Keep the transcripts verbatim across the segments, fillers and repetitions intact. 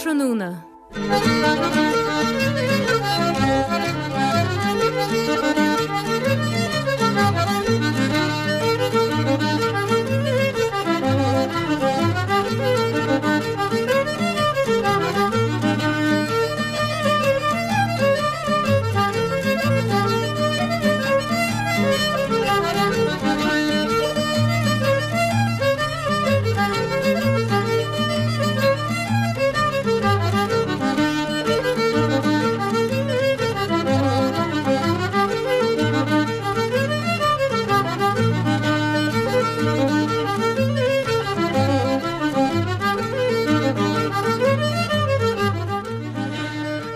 Ardtráthnóna.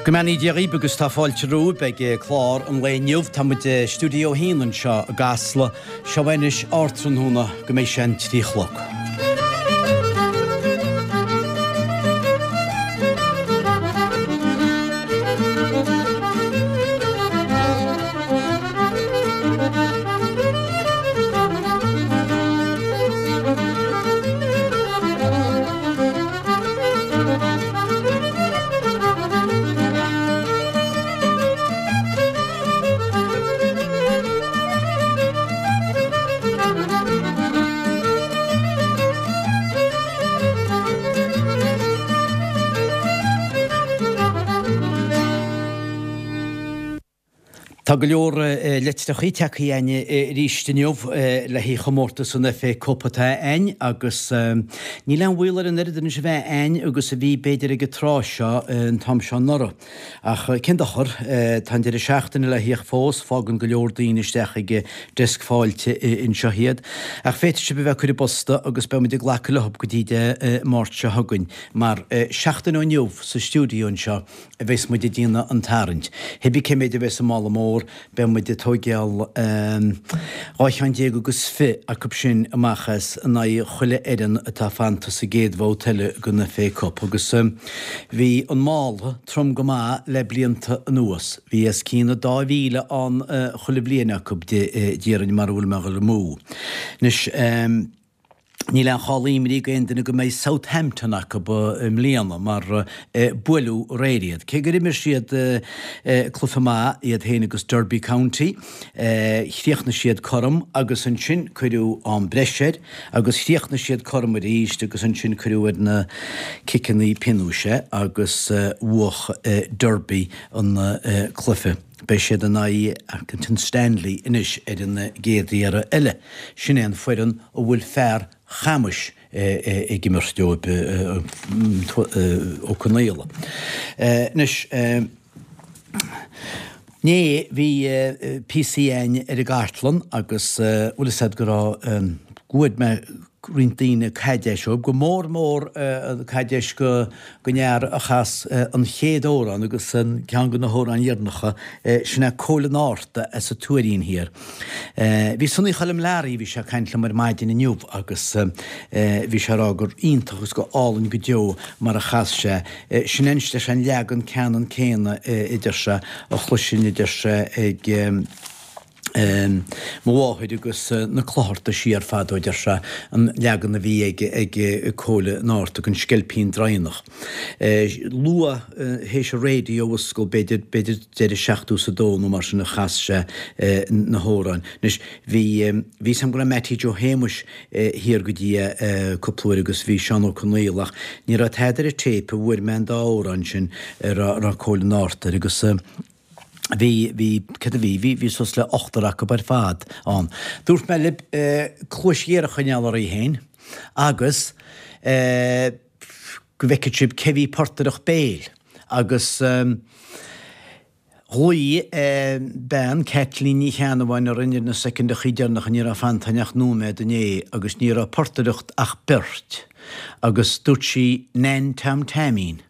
Go mbeannaí Dia dhaoibh agus tá fáilte romhaibh ag clár an lae inniu. Tá muid i Stiúideo a hAon anseo i gCasla. Seo anois Ardtráthnóna go mbeidh sé an trí a chlog. Tá go leor litreachaí tagtha chugainn arís inniu le haghaidh chomórtas an FA Cup atá a'ainn agus níl aon bhaol ar an oiread anois a bheith a'ainn agus a bhí b'fhéidir ag an tráth seo an t-am seo anuraidh. Ach cén dochar, tá an deireadh seachtaine le theacht fós, fágann go leor daoine isteach ag deasc fáilte anseo iad. Ach féadfaidh sibh a bheith ag cur i bposta agus beidh muid ag glacadh leo go dtí Dé Máirt seo chugainn mar seachtain ó inniu sa stiúideo anseo a bheas muid ag déanamh an tarraingt. Cibé cé mhéid a bheas sa mála mór, beidh muid ag tóigeáil dhá cheann déag agus fiche acu sin amach as in aghaidh chuile fhoireann atá fanta sa gcéad bhabhta eile den FA Cup. Agus bhí an mála trom go maith le blianta anuas. Bhí os cionn an dá mhíle ann chuile bhliain acu, déarfainn, mara bhfuil mé ag dul amú. Anois. Níl aon chall imní ag aon duine go mbeidh Southampton acu i mbliana mar buaileadh aréir iad. Cé gur imir siad cluiche maith, iad féin agus Derby County, chríochnaigh siad cothrom agus ansin cuireadh am breise air agus chríochnaigh siad cothrom arís agus ansin cuireadh ar na ciceanna pionóis é agus bhuaigh Derby an cluiche. Beidh siad in aghaidh Accrington Stanley anois ar an gcéad iarraidh eile. Sin é an foireann a bhfuil fear Chamais ag imirt dóibh, Ó Conaola. Anois, inné bhí píosaí a'ainn ar an gcartlann agus bhfuil fhios a'd go raibh, go bhfuair mé roinnt daoine caidéis uathub, go mór mór caidéis den fhear a chas an chéad amhrán agus an ceann de na hamhráin dheireanacha, sin é Cóil an Fhárta as an Tuairín Thiar. Bhí Sonny Choilm Learaí, bhí sé ag caint liom ar maidin inniu agus bhí sé ag rá gur iontach agus go álainn go deo mar a chas sé. Sin é anois leis an leagan ceannann céanna a deir sé, a chloisinn a deir sé ag. Mo mháthair agus na Clochartaigh siar fadó, a deir sé, an leagan a bhí ag ag Cóil an Fhárta, an Sceilpín Draighneach. Luath théis an raidió a fhoscailt, b'fhéidir, b'fhéidir deireadh seachtó is a dó nó mar sin a chas sé na hamhráin. Anois, bhí, bhí 'fhios a'm go raibh Mattie Joe Shéamuis thiar go dtí é cúpla uair agus bhí Seán Ó Conaola ach ní raibh tada ar an téip a bhfuair mé an dá amhrán sin a raibh Cóil an Fhárta air agus, Bhí, bhí, céard a bhí, bhí, bhí suas le ochtar acu ar fad ann. Dúirt mé libh cluais ghéar a choinneáil oraibh féin agus go bhfeicfeadh sibh cé bhí ag portaireacht béil agus ghlaoigh bean, Caitlín Ní Cheannabháin orainn ar na soicindeachaí deireanacha, ní raibh fanta ach nóiméad inné agus ní raibh ag portaireacht ach beirt agus dúirt sí Nan Tom Taimín.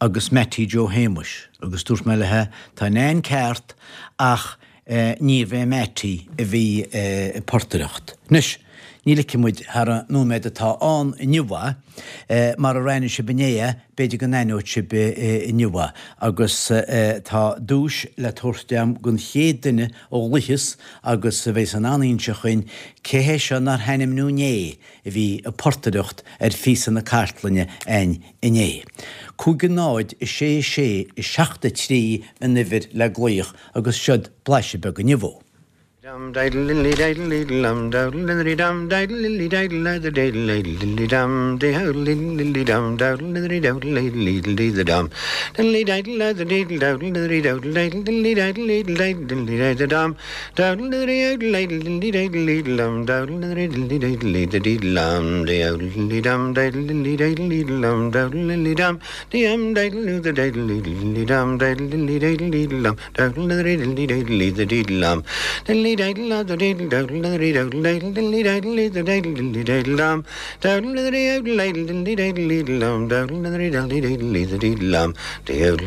agus Mattie Joe Shéamuis agus dúirt mé léithe, tá Nan ceart ach níorbh é Mattie a bhí ag portaireacht. Anois, Ní ligfidh muid thar an nóiméad atá ann inniu é. Marar aithin sibh inné é, b'fhéidir go n-aithneoidh sibh inniu é. Agus tá duais le tabhairt agam don chéad duine a ghlaofas agus a bheas in ann a inse chugainn cé hé seo nár hainmniú inné a bhí ag portaireacht ar phíosa na cartlainne a'inn inné. Cúig a náid, a sé a sé, a seacht a trí an uimhir le glaoch agus seod blaiseadh beag inniu dhó. Dum diddle diddly diddle diddle dum dowdle diddly dum diddle diddly diddle diddle diddle diddly dum diddle diddly dum dowdle diddly dowdle diddle diddle diddle dum diddly diddle diddle diddle dowdle diddly dowdle diddle diddly diddle diddle diddle diddly diddle dum dowdle diddly dowdle diddle diddly diddle diddle dum dowdle diddly diddly diddle diddle diddle dum diddle diddly dum diddle diddly diddle diddle dum dowdle diddly dum dum diddle diddle diddle diddly dum diddle diddly diddle diddle dum dowdle diddly diddly diddle diddle diddle dum diddly diddle diddle diddle dowdle diddly dowdle diddle diddly diddle diddle diddle diddly diddle dum dowdle diddly dowdle diddle diddly diddle diddle dum dowdle diddly diddle diddle diddle diddle dum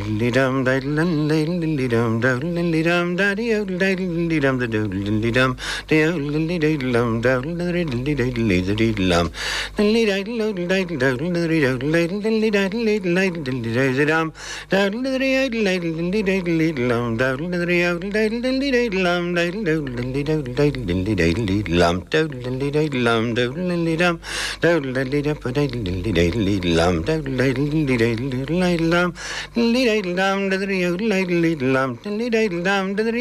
diddly dum diddle diddle diddly dum dowdle diddly dum daddy dowdle diddle diddly dum the dowdle diddly dum diddle diddly diddle dum dowdle diddly diddly diddle diddle diddle dum diddly diddle dowdle diddle dowdle diddly dowdle diddle diddly diddle diddle diddle diddly diddle dum dowdle diddly dowdle diddle diddly diddle diddle dum dowdle diddly dowdle diddle diddly diddle dum diddle dowdle diddly dowdle diddle diddly diddle diddle dum dowdle diddly diddle dum dowdle diddly dum dowdle diddly dum diddle diddly diddle diddle dum dowdle diddle diddly diddle diddle diddle dum diddly diddle dum diddly dowdle diddle diddle dum diddly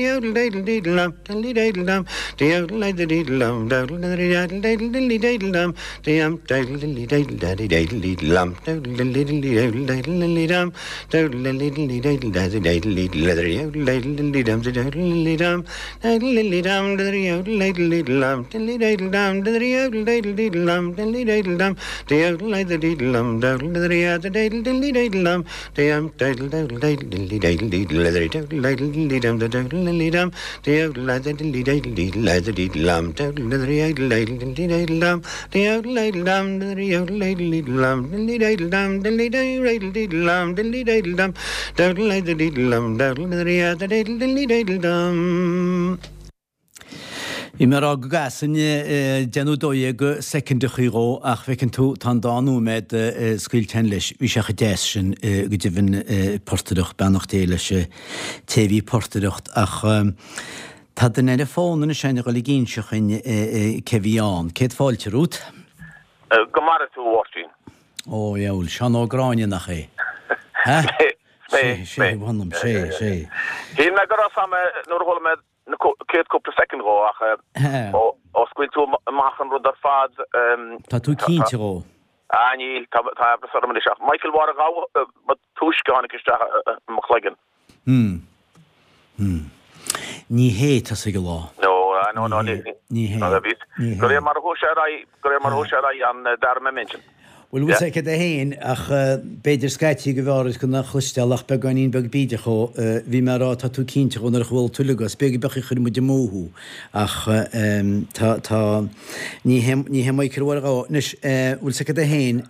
diddle dum diddly dowdle diddle diddle dum diddly diddle dum diddle diddle diddle dum dowdle diddly diddle diddle diddly diddle dum dum diddle diddly diddle daddy diddle diddle dum dowdle diddly diddly dowdle diddle diddly dum dowdle diddly diddly diddle daddy diddle diddle diddly dowdle diddle diddly dum diddle diddly dum diddle diddly dum diddly dowdle diddle diddle dum diddly diddle dum diddly dowdle diddle diddle dum diddly diddle dum diddle diddle diddle dum dowdle diddly diddle diddle diddly diddle dum dum diddle dowdle diddle diddly diddle diddle diddly dowdle diddle diddly dum diddle diddly dum diddle diddle diddly diddle diddle diddle diddle dum dowdle diddly diddle diddle diddly diddle dum diddle diddle dum diddly dowdle diddle diddle dum diddly diddle dum diddly diddle diddle dum diddly diddle dum dowdle diddle diddle dum dowdle diddly diddle diddle diddly diddle dum. Bhí mé ag rá go gcasfainn deich nó dó dhéag soicindeachaí dhó ach feiceann tú tá an dá nóiméad scaoilte againn leis. Bhí sé chomh deas sin go deimhin portaireacht, beannacht Dé leis an té a bhí ag portaireacht ach tá duine ar an bhfón anois againn a dhul ag inse chugainn cé bhí ann. Céad fáilte romhat. Go maire tú, a Mháirtín. Ó, dheabhail, Seán Ó Gráinne nach é? Ha? Sé, sé, mh'anam, sé, sé. Shíl mé go raibh a fhios a'm nuair a chuala mé na chéad cúpla soicind dhó ach ó scaoil tú amach an rud ar fad. Tá tú cinnte dhó? Ah níl, tá amhras orm anois ach Michael Mháire Ghabha ba túisce a tháinig isteach i mo chloigeann. Hmm. Hmm. Ní hé tosaigh an lá. No, no, no, ní hé. Ní hé. De réir mar a chuaigh sé ar aghaidh, de réir mar a chuaigh sé ar aghaidh an dara mé m'intinn. Bhuel, bhfuil sé aige féin, ach b'fhéidir scaití go bhfearr duit gan a chloisteáil ach beagáinín beag bídeach dhó. Bhí mé ag rá tá tú cinnte dhó nuair a chuala tú uilig as beag beag a chuir muid amú thú. Ach tá, tá, ní hé, ní hé Michael Mháire Ghabha. Anois, bhfuil sé aige féin,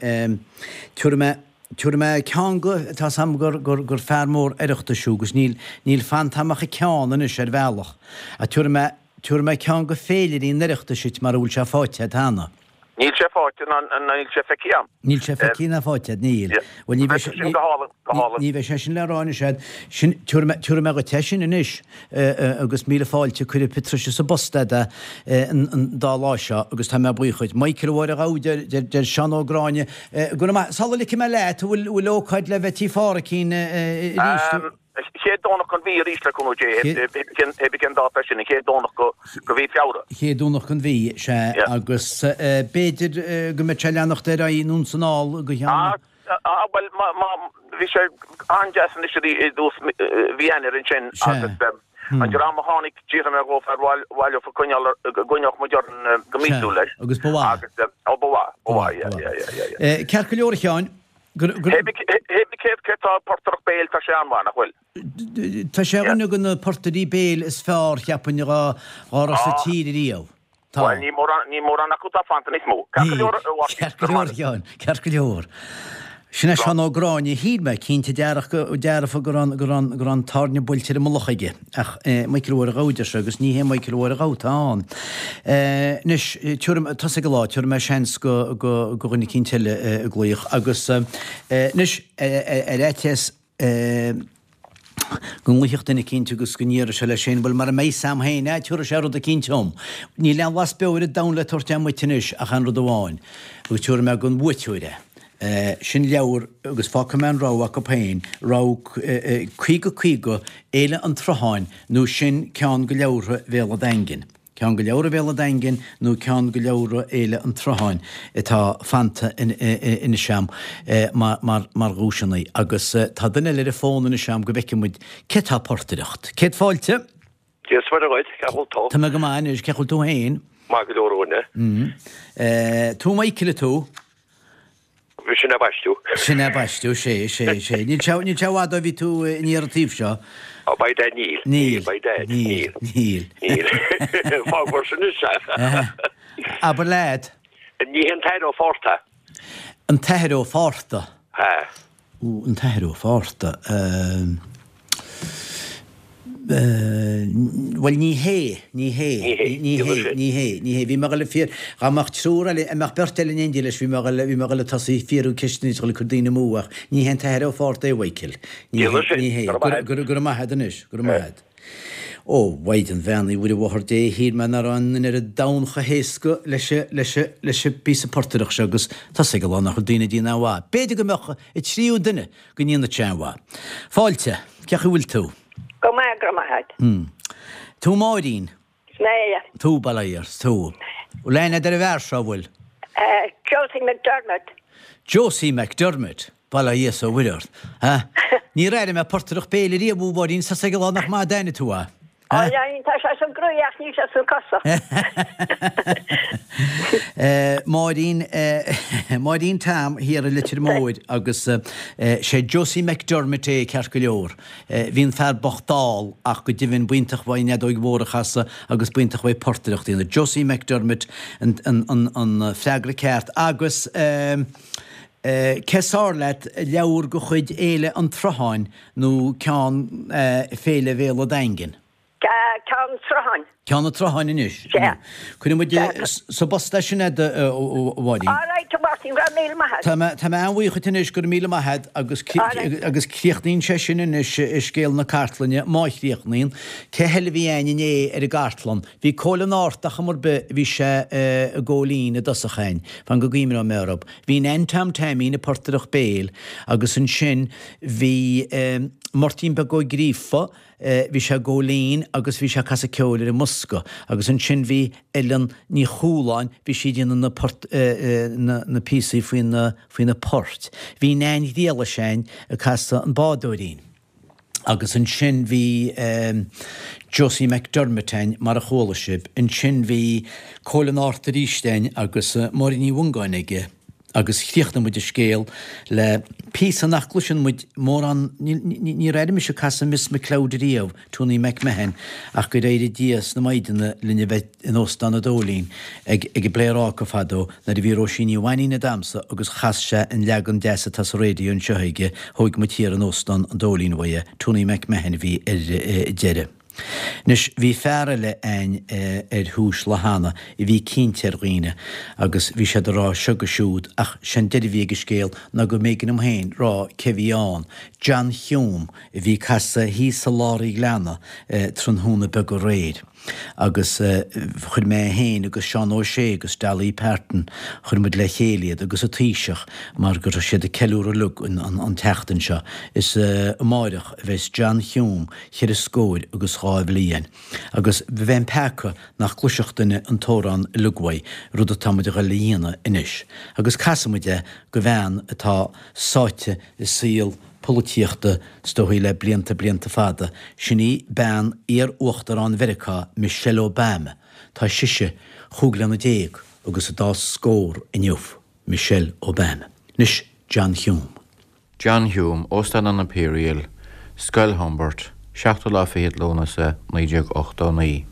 tabharfaidh mé, tabharfaidh mé ceann go, tá 's a'm gur, gur, gur fear mór Oireachtais thú agus níl, níl fanta a'm ach an ceann anois ar bhealach. Ach tabharfaidh mé, tabharfaidh mé ceann go féilirí an Oireachtais duit mara bhfuil sé faighte a'd cheana. Níl sé faighte ná níl sé feicthe a'm. Níl sé feicthe ná faighte a'd, níl. Bhuel, ní bheidh sé, Sin go hálainn, go hálainn. ní bheidh sé sin le rá anois a'd. Sin, tabharfaidh mé, tabharfaidh mé dhuit é sin anois agus míle fáilte, cuirfidh Patricia sa bpost a'd é an, an dá lá seo agus tá mé buíoch dhuit. Michael Mháire Ghabha, deir, deir, deir Seán Ó Gráinne, go raibh maith, sula ligfidh mé leat, an bhfuil, bhfuil ócáid le bheith Tí Pháraic arís? Chéad Domhnach den mhí arís le cúnamh Dé, hé bí cén dáta é sin, an chéad Domhnach de mhí Feabhra. Chéad Domhnach den mhí, sea, agus b'fhéidir go mbeidh sé ag leanacht ar aghaidh anonn 's anall go cheann. Ah, bhuel, bhí sé an-deas anois i dtús mhí Eanáir ansin agus an dream a tháinig, d'fhiafraigh mé dhófa ar mhaith leofa coinneáil, go gcoinneodh muid orainn go míosúil leis. Agus ba mhaith. Agus, ó ba mhaith, ba mhaith, yeah, yeah, yeah, yeah. Ceart go leor a Sheáin. Hé bí céard céard tá portaireacht béil, tá sé an-mhaith, nach bhfuil? Tá sé ar dhuine de na portairí béil is fearr, cheapfainn, dhá raibh sa tír ariamh. Tá. Bhuel, ní mórán, ní mórán acu atá fanta níos mó. Ceart go leor, a Mháirtín. Ceart go leor, a Sheáin, ceart go leor. Sin é Seán Ó Gráinne, shíl mé cinnte dearfa go raibh go raibh go raibh an tairne buailte ar an mullach aige, ach Michael Mháire Ghabha a deir sé agus ní hé Michael Mháire Ghabha atá ann. Anois, tabharfaidh, tosaigh an lá, tabharfaidh mé seans go go go dhuine eicínt eile ag glaoch agus anois ar fhaitíos go nglaoifeadh duine eicínt agus go ndéarfadh sé leis féin, bhuel, mara mbeidh 'fhios a'm féin, eh, tabharfaidh sé rud eicínt dhom. Níl aon bhlas beo ar an domhan le tabhairt a'm dhuit anois ach aon rud amháin, agus tabharfaidh mé don bhuaiteoir é. Eh, sin leabhar, agus fágfaidh mé an rogha acu féin, rogha eh, caoga caoga, Fhéile an tSrutháin, nó sin ceann de leabhartha Bhéal an Daingin. Ceann de leabhartha Bhéal an Daingin nó ceann de leabhartha Fhéile an tSrutháin atá fanta anois a'm mar dhuaiseanna. Agus tá duine eile ar an bhfón anois a'm go bhfeicfidh muid cé tá ag portaireacht. Céad fáilte! Dia is Muire dhuit, cén chaoi a bhfuil tú? Tá mé go maith anois, cén chaoi a bhfuil tú féin? Maith go leor a dhuine. Tú Michael tú? Sin é baisteadh. Sin é baisteadh, sé, sé, sé. Níl sé, níl sé i bhfad ó bhí tú aniar an taobh seo. Oh, by dad, níl. Níl. By dad, níl. Níl. Níl. Fág mar sin is ea. Abair leat. Ní hé an tAthair Ó Fátharta. An tAthair Ó Fátharta. Ha. Ó, an tAthair Ó Fátharta. Bhuel, ní hé, ní hé, ní hé, ní hé, ní hé. Bhí mé ag dul ag fiar, dá mbeadh triúr eile, a mbeadh beirt eile in éindí leis, bhí mé ag dul, bhí mé ag dul ag tosaí ag fiafraí ceisteanna is ag dul ag cur daoine amú ach ní hé an tAthair Ó Fátharta é, a Mhichael. Ní hé, ní hé. Go raibh maith agat anois, go raibh maith agat. Ó, Mhaighdean Bheannaithe Mhuire Mháthair Dé, shíl mé nach raibh aon duine ar an domhan chomh héasca leis an, leis an, leis an bpíosa portaireachta seo agus tosaigh an lá nach bhfuil daoine ag déanamh aon mhaith. B'fhéidir go mbeadh an tríú duine go ndéanfadh sé aon mhaith. Fáilte, cén chaoi a bhfuil tú? Go maith, go raibh maith agat. Tú Máirín? Is mé é. Tú, bail ó Dhia ort, tú. Bhfuil aithne agat ar an bhfear seo, an bhfuil? Josie McDermott. Josie McDermott, bail ó Dhia is ó Mhuire ort. Ha? Níor airigh mé portaireacht béil ariamh, a Mháirín, tá a fhios ag an lá nach maith a d'aithnigh tú é. Ó, tá sé sa gcroí ach níl sé sna cosa. Máirín, Máirín Tom thiar i Leitir Móir agus sé Josie McDermott é ceart go leor. Bhí an fear bocht dall ach go deimhin b'iontach uaidh an fheadóig mhór a chasadh agus b'iontach uaidh portaireacht a dhéanamh. Josie McDermott an an freagra ceart agus cé is fearr leat, leabhar de chuid Fhéile an tSrutháin nó ceann Féile Bhéal an Daingin? Ceann an tSrutháin. Ceann an tSrutháin anois. Sea. Cuirfidh muid sa bpost é sin agat, a Mháirín. All right, a Mháirtín, go raibh míle maith agat. Tá mé, tá mé an-bhuíoch dhuit anois, go raibh míle maith agat agus agus críochnaíonn sé sin anois scéal na cartlainne, má chríochnaíonn. Cé eile a bhí a'inn inné ar an gcartlann? Bhí Cóil an Ártach am ar bith, bhí sé i gCóilín i dtosach a'inn, fan go gcuimhneoidh mé orthu. Bhí Nan Tom Taimín ag portaireacht béil agus ansin bhí Máirtín Beag Ó Gríofa, bhí sé i gCóilín agus bhí sé ag casadh ceoil ar an mbosca agus ansin bhí Ellen Ní Chualáin, bhí sí ag déanamh na port, na na píosaí faoi na faoi na poirt. Bhí Nan Ghriallais a'inn ag casadh an bádóirín. Agus ansin bhí Josie McDermott a'inn, mar a chuala sibh. Ansin bhí Cóil an Árta arís a'inn agus Máire Ní Mhongáin aige agus chríochnaigh muid an scéal le píosa nach gcloiseann muid mórán, níor airigh mise casadh Miss McCloud ariamh, Tony McMahon, ach gur éirigh Dia as na Maighdeana linn a bheith in Óstán an Dóilín ag ag an bPléaráca fadó nuair a bhí Róisín Ní Mhainín ag damhsa agus chas sé an leagan deas atá sa raidió anseo aige, thóig muid thiar in Óstán an Dóilín uaidh é, Tony McMahon a bhí ar deireadh. Anois bhí fear eile a'inn ar thús lá cheana a bhí cinnte ar dhaoine agus bhí siad ag rá seo 'gus siúd ach sé'n deireadh a bhí ag an scéal ná go mb'éigean dom féin rá cé bhí ann, John Hume a bhí ag casadh thíos i lár an ghleanna tráthnóna beag aréir. Agus chuir mé féin agus Seán Ó Sé agus Dolly Parton, chuir muid le chéile iad agus an Taoiseach mar go raibh siad ag ceiliúradh uilig an tseachtain seo. Is amáireach a bheas John Hume cheithre scóir agus dhá bhliain. Agus bheinn peaca nach gcloisfeadh duine an t-amhrán uilig uaidh, rud atá muid a ghoil a dhéanamh anois. Agus casfaidh muid é go bhean atá sáite i saol polaitíochta is dóigh le blianta blianta fada, sin í bean iar-uachtarán Mheiriceá, Michelle Obama. Tá sise chúig bliana déag agus a dá scór inniu, Michelle Obama. Anois, John Hume. John Hume, Óstán an Imperial, Scoil Humbert, seachtú lá fichead Lúnasa, naoi déag ochtó a naoi.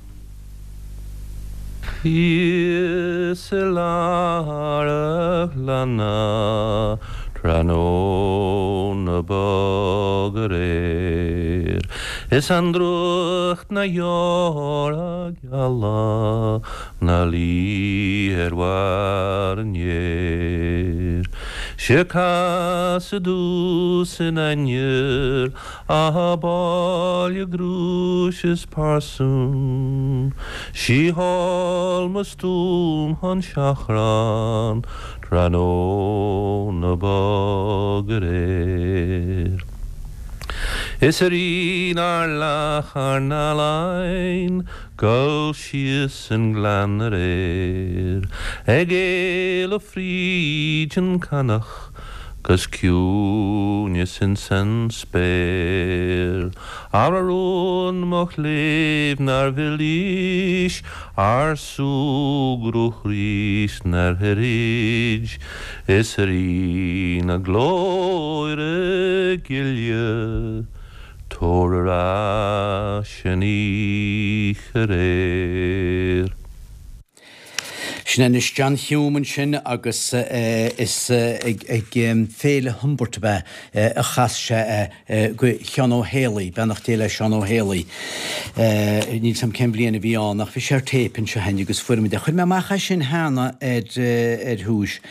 Thíos i lár an ghleanna, Tráthnóna bog aréir Is an drúcht na dheora geala 'na luí ar bharr an fhéir. 'Sé cas i dtús in ainnir a baile grúis is parsún, 'Sí thall mo stuaim chun seachráin tráthnóna bog aréir. Is a Rí nár leath ár n-ealaín Gul síos an gleann aréir Ag éalú fríd an canach 'Gus ciúineas ins an spéir Ar a rún mo chléibh nár mhilís Ár súgradh 'rís 'nár throid Is a Rí na glóire gile Tabhair ar ais an oíche aréir. Sin anois John Hume ansin agus is ag Féile Humbert ab ea a chas sé go Sheán Ó Héalaí, beannacht Dé le Seán Ó Héalaí. Níl 's a'm cén bhliain a bhí ann ach bhí sé ar téip anseo againn agus fuair muid é. Chuir mé amach é sin cheana ar ar thús,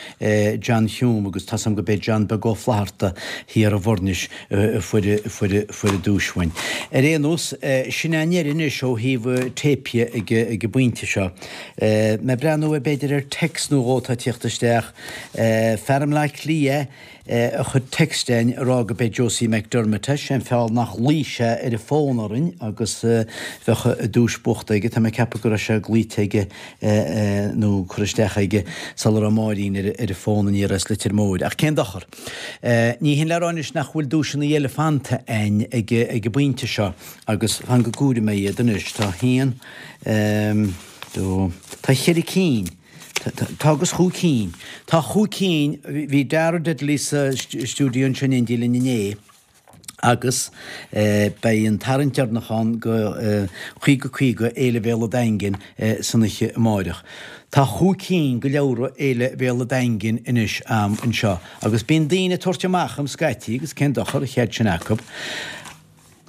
John Hume agus tá 's a'm go b'é John Beag Ó Flatharta thiar i bhFoirnis a fuair fuair fuair an duais uainn. Ar aon nós, sin é an deireadh anois ó thaobh téipí ag ag an bpointe seo. Mé ag breathnú ar b'fhéidir ar text nó dhó atá ag tíocht isteach. Fear i mBleá Cliath a chuir text againn ag rá go b'é Josie McDermott é. Sé an feall nach ghlaoigh sé ar an bhfón orainn agus bheadh an duais buachta aige. Tá mé ag ceapadh go raibh sé glaoite aige nó curtha isteach aige sula raibh Máirín ar an bhfón aniar as Leitir Móir. Ach cén dochar? Ní hin le rá anois nach bhfuil duaiseanna eile fanta againn ag an bpointe seo agus fan go gcomhaire mé iad anois. Tá haon, dó, tá cheithre cinn. Tá agus chúig cinn. Tá chúig cinn, bhí Dara Diddley sa stiúideo ansin in éindí linn inné agus beidh an tarraingt deireanach ann go caoga caoga Fhéile Bhéal an Daingin san oíche amáireach. Tá chúig cinn go leabhra Fhéile Bhéal an Daingin anois a'm anseo agus bíonn daoine ag tabhairt amach a'm scaití agus cén dochar, an chead sin acu.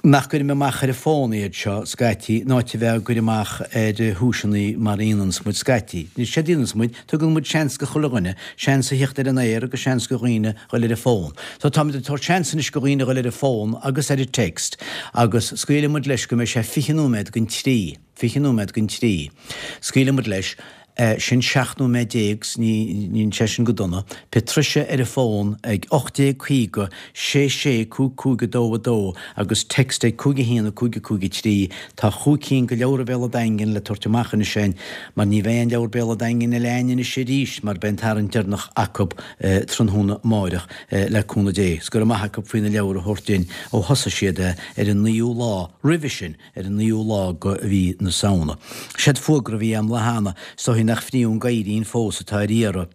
nach gcuirim amach ar an bhfón iad seo scaití, in áit a bheith á gcur amach ar thuaiseanna mar a dhéananns muid scaití. Séard a dhéananns muid, tugann muid seans go chuile dhuine, seans a theacht ar an aer agus seans go dhaoine dhul ar an bhfón. So táimid ag tabhairt seans anois go dhaoine dhul ar an bhfón agus ar an text agus scaoilfidh muid leis go mbeidh sé fiche nóiméad don trí, fiche nóiméad don trí. Scaoilfidh muid leis. Sin seacht nóiméad déag, 's ní níl sé sin go dona. Pé tuirse ar an bhfón ag ocht déag caoga, sé sé cúig cúig a dó a dó agus text ag cúig a haon a cúig a cúig a trí. Tá chúig cinn go leabhar Bhéal an Daingin le tabhairt amach anois againn mar ní bheidh aon leabhar Béal an Daingin eile againn anois arís mar beidh an tarraingt deireanach acu tráthnóna amáireach le cúnamh Dé. 'S go raibh maith acu faoi na leabhair a thabhairt dinn ó thosaigh siad ar an naoú lá roimhe sin. ar an naoú lá go mhí na Samhna. Séard fuagra a bhí a'm lá cheana, is dóichí nach fríoth an gadhairín fós atá ar iarraidh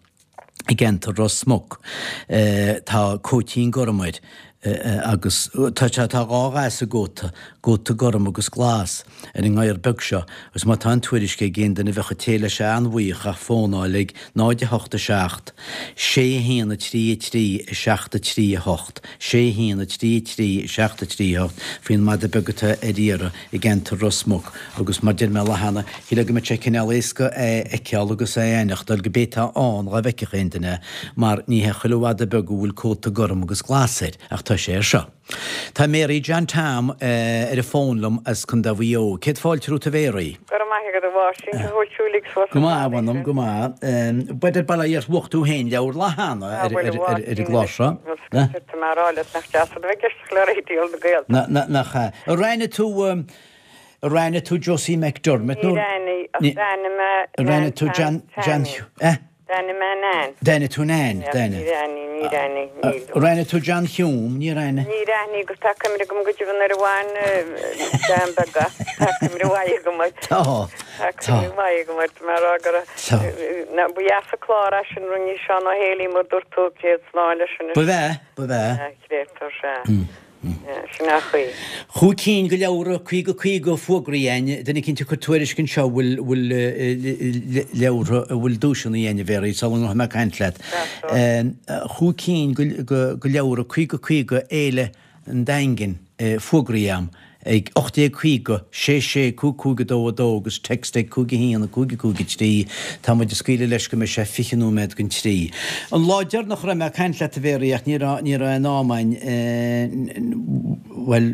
i gceantar Ros Muc. Tá cóitín gorm air agus tá tá dhá dhath sa gcóta, cóta gorm agus glas, ar an ngadhar beag seo agus má tá an tuairisc ag aon duine bheadh an té leis an-bhuíoch ach fónáil ag náid a hocht a seacht, sé a haon a trí a trí a seacht a trí a hocht. sé a haon a trí a trí seacht a trí ocht faoin mada beag atá ar iarraidh i gceantar Ros Muc agus mar deir mé lá cheana, shílfeá go mbeadh sé cineál éasca é a fheiceáil agus é a aithneachtáil go b'é atá ann dhá bhfeicfeadh aon duine é mar ní hé chuile mhada beag a bhfuil cóta gorm agus glas air ach tá sé air seo. Tá Mary John Tom ar an bhfón liom as Contae Mhaigh Eo. Céad fáilte romhat a Mhéaraí. Go raibh maith agat a Mháirtín, go bhfuil tú uilig suas Go maith, a mh'anam, go maith. B'fhéidir bail ó Dhia ort bhuaigh tú féin leabhar lá cheana ar an gclár seo. Tá mé a rá leat nach deas a bheith ag éisteacht le Raidió na Gaeltachta. Nach ea. Ar aithnigh tú, ar aithnigh tú Josie McDermott nó? Níor aithnigh, ach d'aithnigh mé Ar aithnigh tú John, John, eh? D'aithnigh mé Nan. D'aithnigh tú Nan, d'aithnigh. Níor aithnigh, níor aithnigh, níl. Ar aithnigh tú John Hume, níor aithnigh. Níor aithnigh agus tá cuimhne agam go deimhin nuair a bhain bean beag as, tá cuimhne mhaith agam air. Tá, tá. Cuimhne mhaith agam air, tá mé a rá go raibh, ba dheas an clár é sin rinne Seán Ó Héalaí mar dúirt tú, céad slán leis anois. Ba bhea, ba bhea. A chréatúr, sea. Sin an chaoi. Chúig cinn de leabhra caoga caoga fógraithe againn, duine eicínt ag cur tuairisc anseo a bhfuil bhfuil leabhartha a bhfuil duaiseanna againn a Mhéaraí sula ngabhfaidh mé ag caint leat. Chúig cinn de leabhra caoga caoga Fhéile an Daingin fógraithe agam ag ocht déag caoga, sé sé, cúig cúig a dó a dó agus text ag cúig a haon, cúig a cúig a trí. Tá muid ag scaoileadh leis go mbeidh sé fiche nóiméad don trí. An lá deireanach a raibh mé ag caint leat a Mhéaraí ach ní raibh ní raibh aon am againn bhuel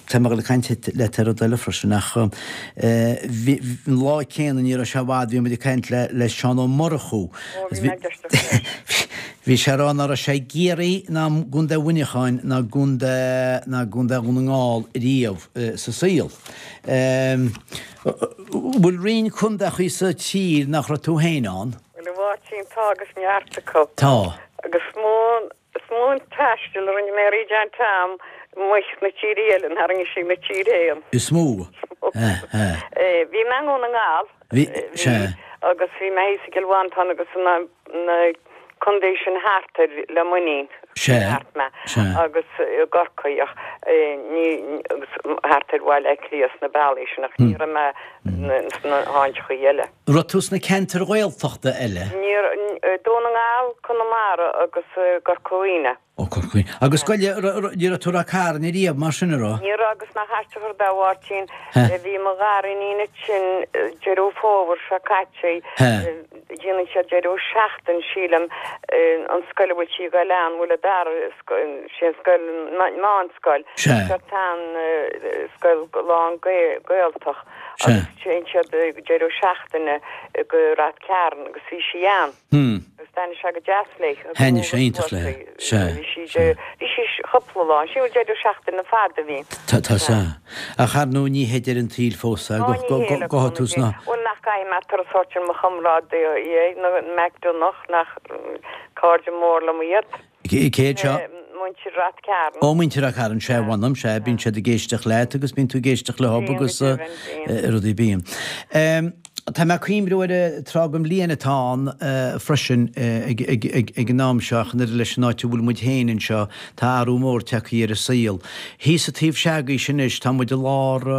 tá mé ag dul ag caint leat ar rud eile freisin ach bhí an lá céanna ní raibh sé i bhfad bhí muid ag caint le le Seán Ó Murchú. Ó bhí mé ag éisteacht leis. Bhí sé ag rá ná raibh sé i gCiarraí ná i gContae Mhuineacháin ná i gContae ná i gContae Dhún na nGall riamh sa saol. Bhfuil roinnt contaechaí sa tír nach raibh tú féin ann? Bhuel, a Mháirtín, tá agus neart acu. Tá. Agus is mó, is mó an taisteal a rinne mé thríd an t-am amuigh sna tíortha eile ná a rinne istigh 'na tír fhéin. Is mó. Bhí mé i nDún na nGall. Bhí, sea. Agus bhí mé thíos i gCill Mhantáin agus na contae sin thart air le muinín. Sea. Thart mé. Sea. Agus i gCorcaigh ach ní, agus thart ar Bhaile Átha Cliath sna bealaí sin ach ní raibh mé sna háiteachaí eile. Raibh tú sna ceantair Ghaeltachta eile? Ní raibh, Dún na nGall, Conamara agus Corca Dhuibhne. Ó, Corca Dhuibhne. Agus goile, ní raibh tú i Ráth Cairn ariamh mar sin, an raibh? Ní raibh agus nach aisteach an rud é a Mháirtín, bhí mo ghariníon ansin deireadh fómhair seo caite, déanann siad deireadh seachtain sílim, an scoil a bhfuil sí ag dul ann, bhfuil a dara, sé an scoil, meánscoil, seo an scoil lán Gaeltach agus téann siad deireadh seachtaine go Rath Cairn agus bhí sí ann. Agus thaitnigh sé go deas léi. Thaitnigh sé iontach léi. Sea. Bhí sí, bhí sí cúpla lá, sin deireadh seachtaine fada a bhí. Tá, tá, sea. Ach ar ndóigh ní hé deireadh an tsaoil fós é, go, go, go, go tú sna. Bhuel nach gcaithfidh mé turas a thabhairt ar mo chomrádaí, na McDonagh, nach cairde mór liom iad. Cé hiad seo? Muintir Rath Cairn. Ó, muintir Rath Cairn, sea, mh'anam, sea, bíonn siad ag éisteacht leat agus bíonn tú ag éisteacht leo agus rudaí bíonn. Tá mé ag cuimhniú ar an tráth den bhliain atá ann freisin ag an am seo ach an oiread leis an áit a bhfuil muid féin anseo, tá athrú mór tagtha ar an saol. Thíos sa taobh se'agaibhse anois, tá muid i lár,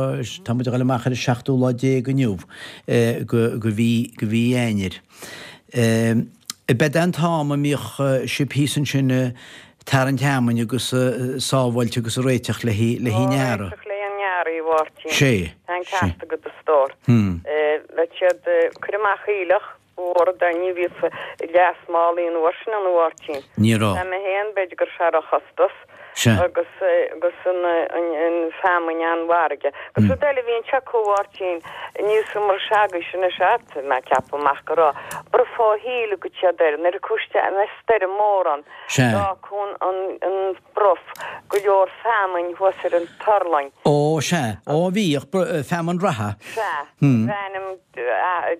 tá muid ag dul amach ar an seachtú lá déag inniu de mhí, de mhí Eanáir. B'é an t-am a mbíodh sibh thíos ansin ag tarraingt fheamainn agus ag sábháilt agus ag réiteach le haghaidh an earraigh. Réiteach le haghaidh an earraigh, a Mháirtín. Sé. Tá an ceart agat a stór. Bheadh siad ag cur amach aoileach mhór dá ní bhíodh gléasmálaí an uair sin ann a Mháirtín. Ní raibh. Tá mé féin, b'fhéidir go raibh sé róchostas. Sea. Agus agus an an feamainn an-mhargaidh. Agus rud eile a bhí anseo acu a Mháirtín, níos mar seagaibhse anois a'd, mé ag ceapadh amach go raibh bruth fó shíl a gcuid siad air nuair a cuiste an stoirm mór ann. Sea. D'fhágfadh an an bruth go leor feamainn thuas ar an turlaing. Ó, sea. Ó, bhíodh feamainn reatha. Sea. Bhí ainm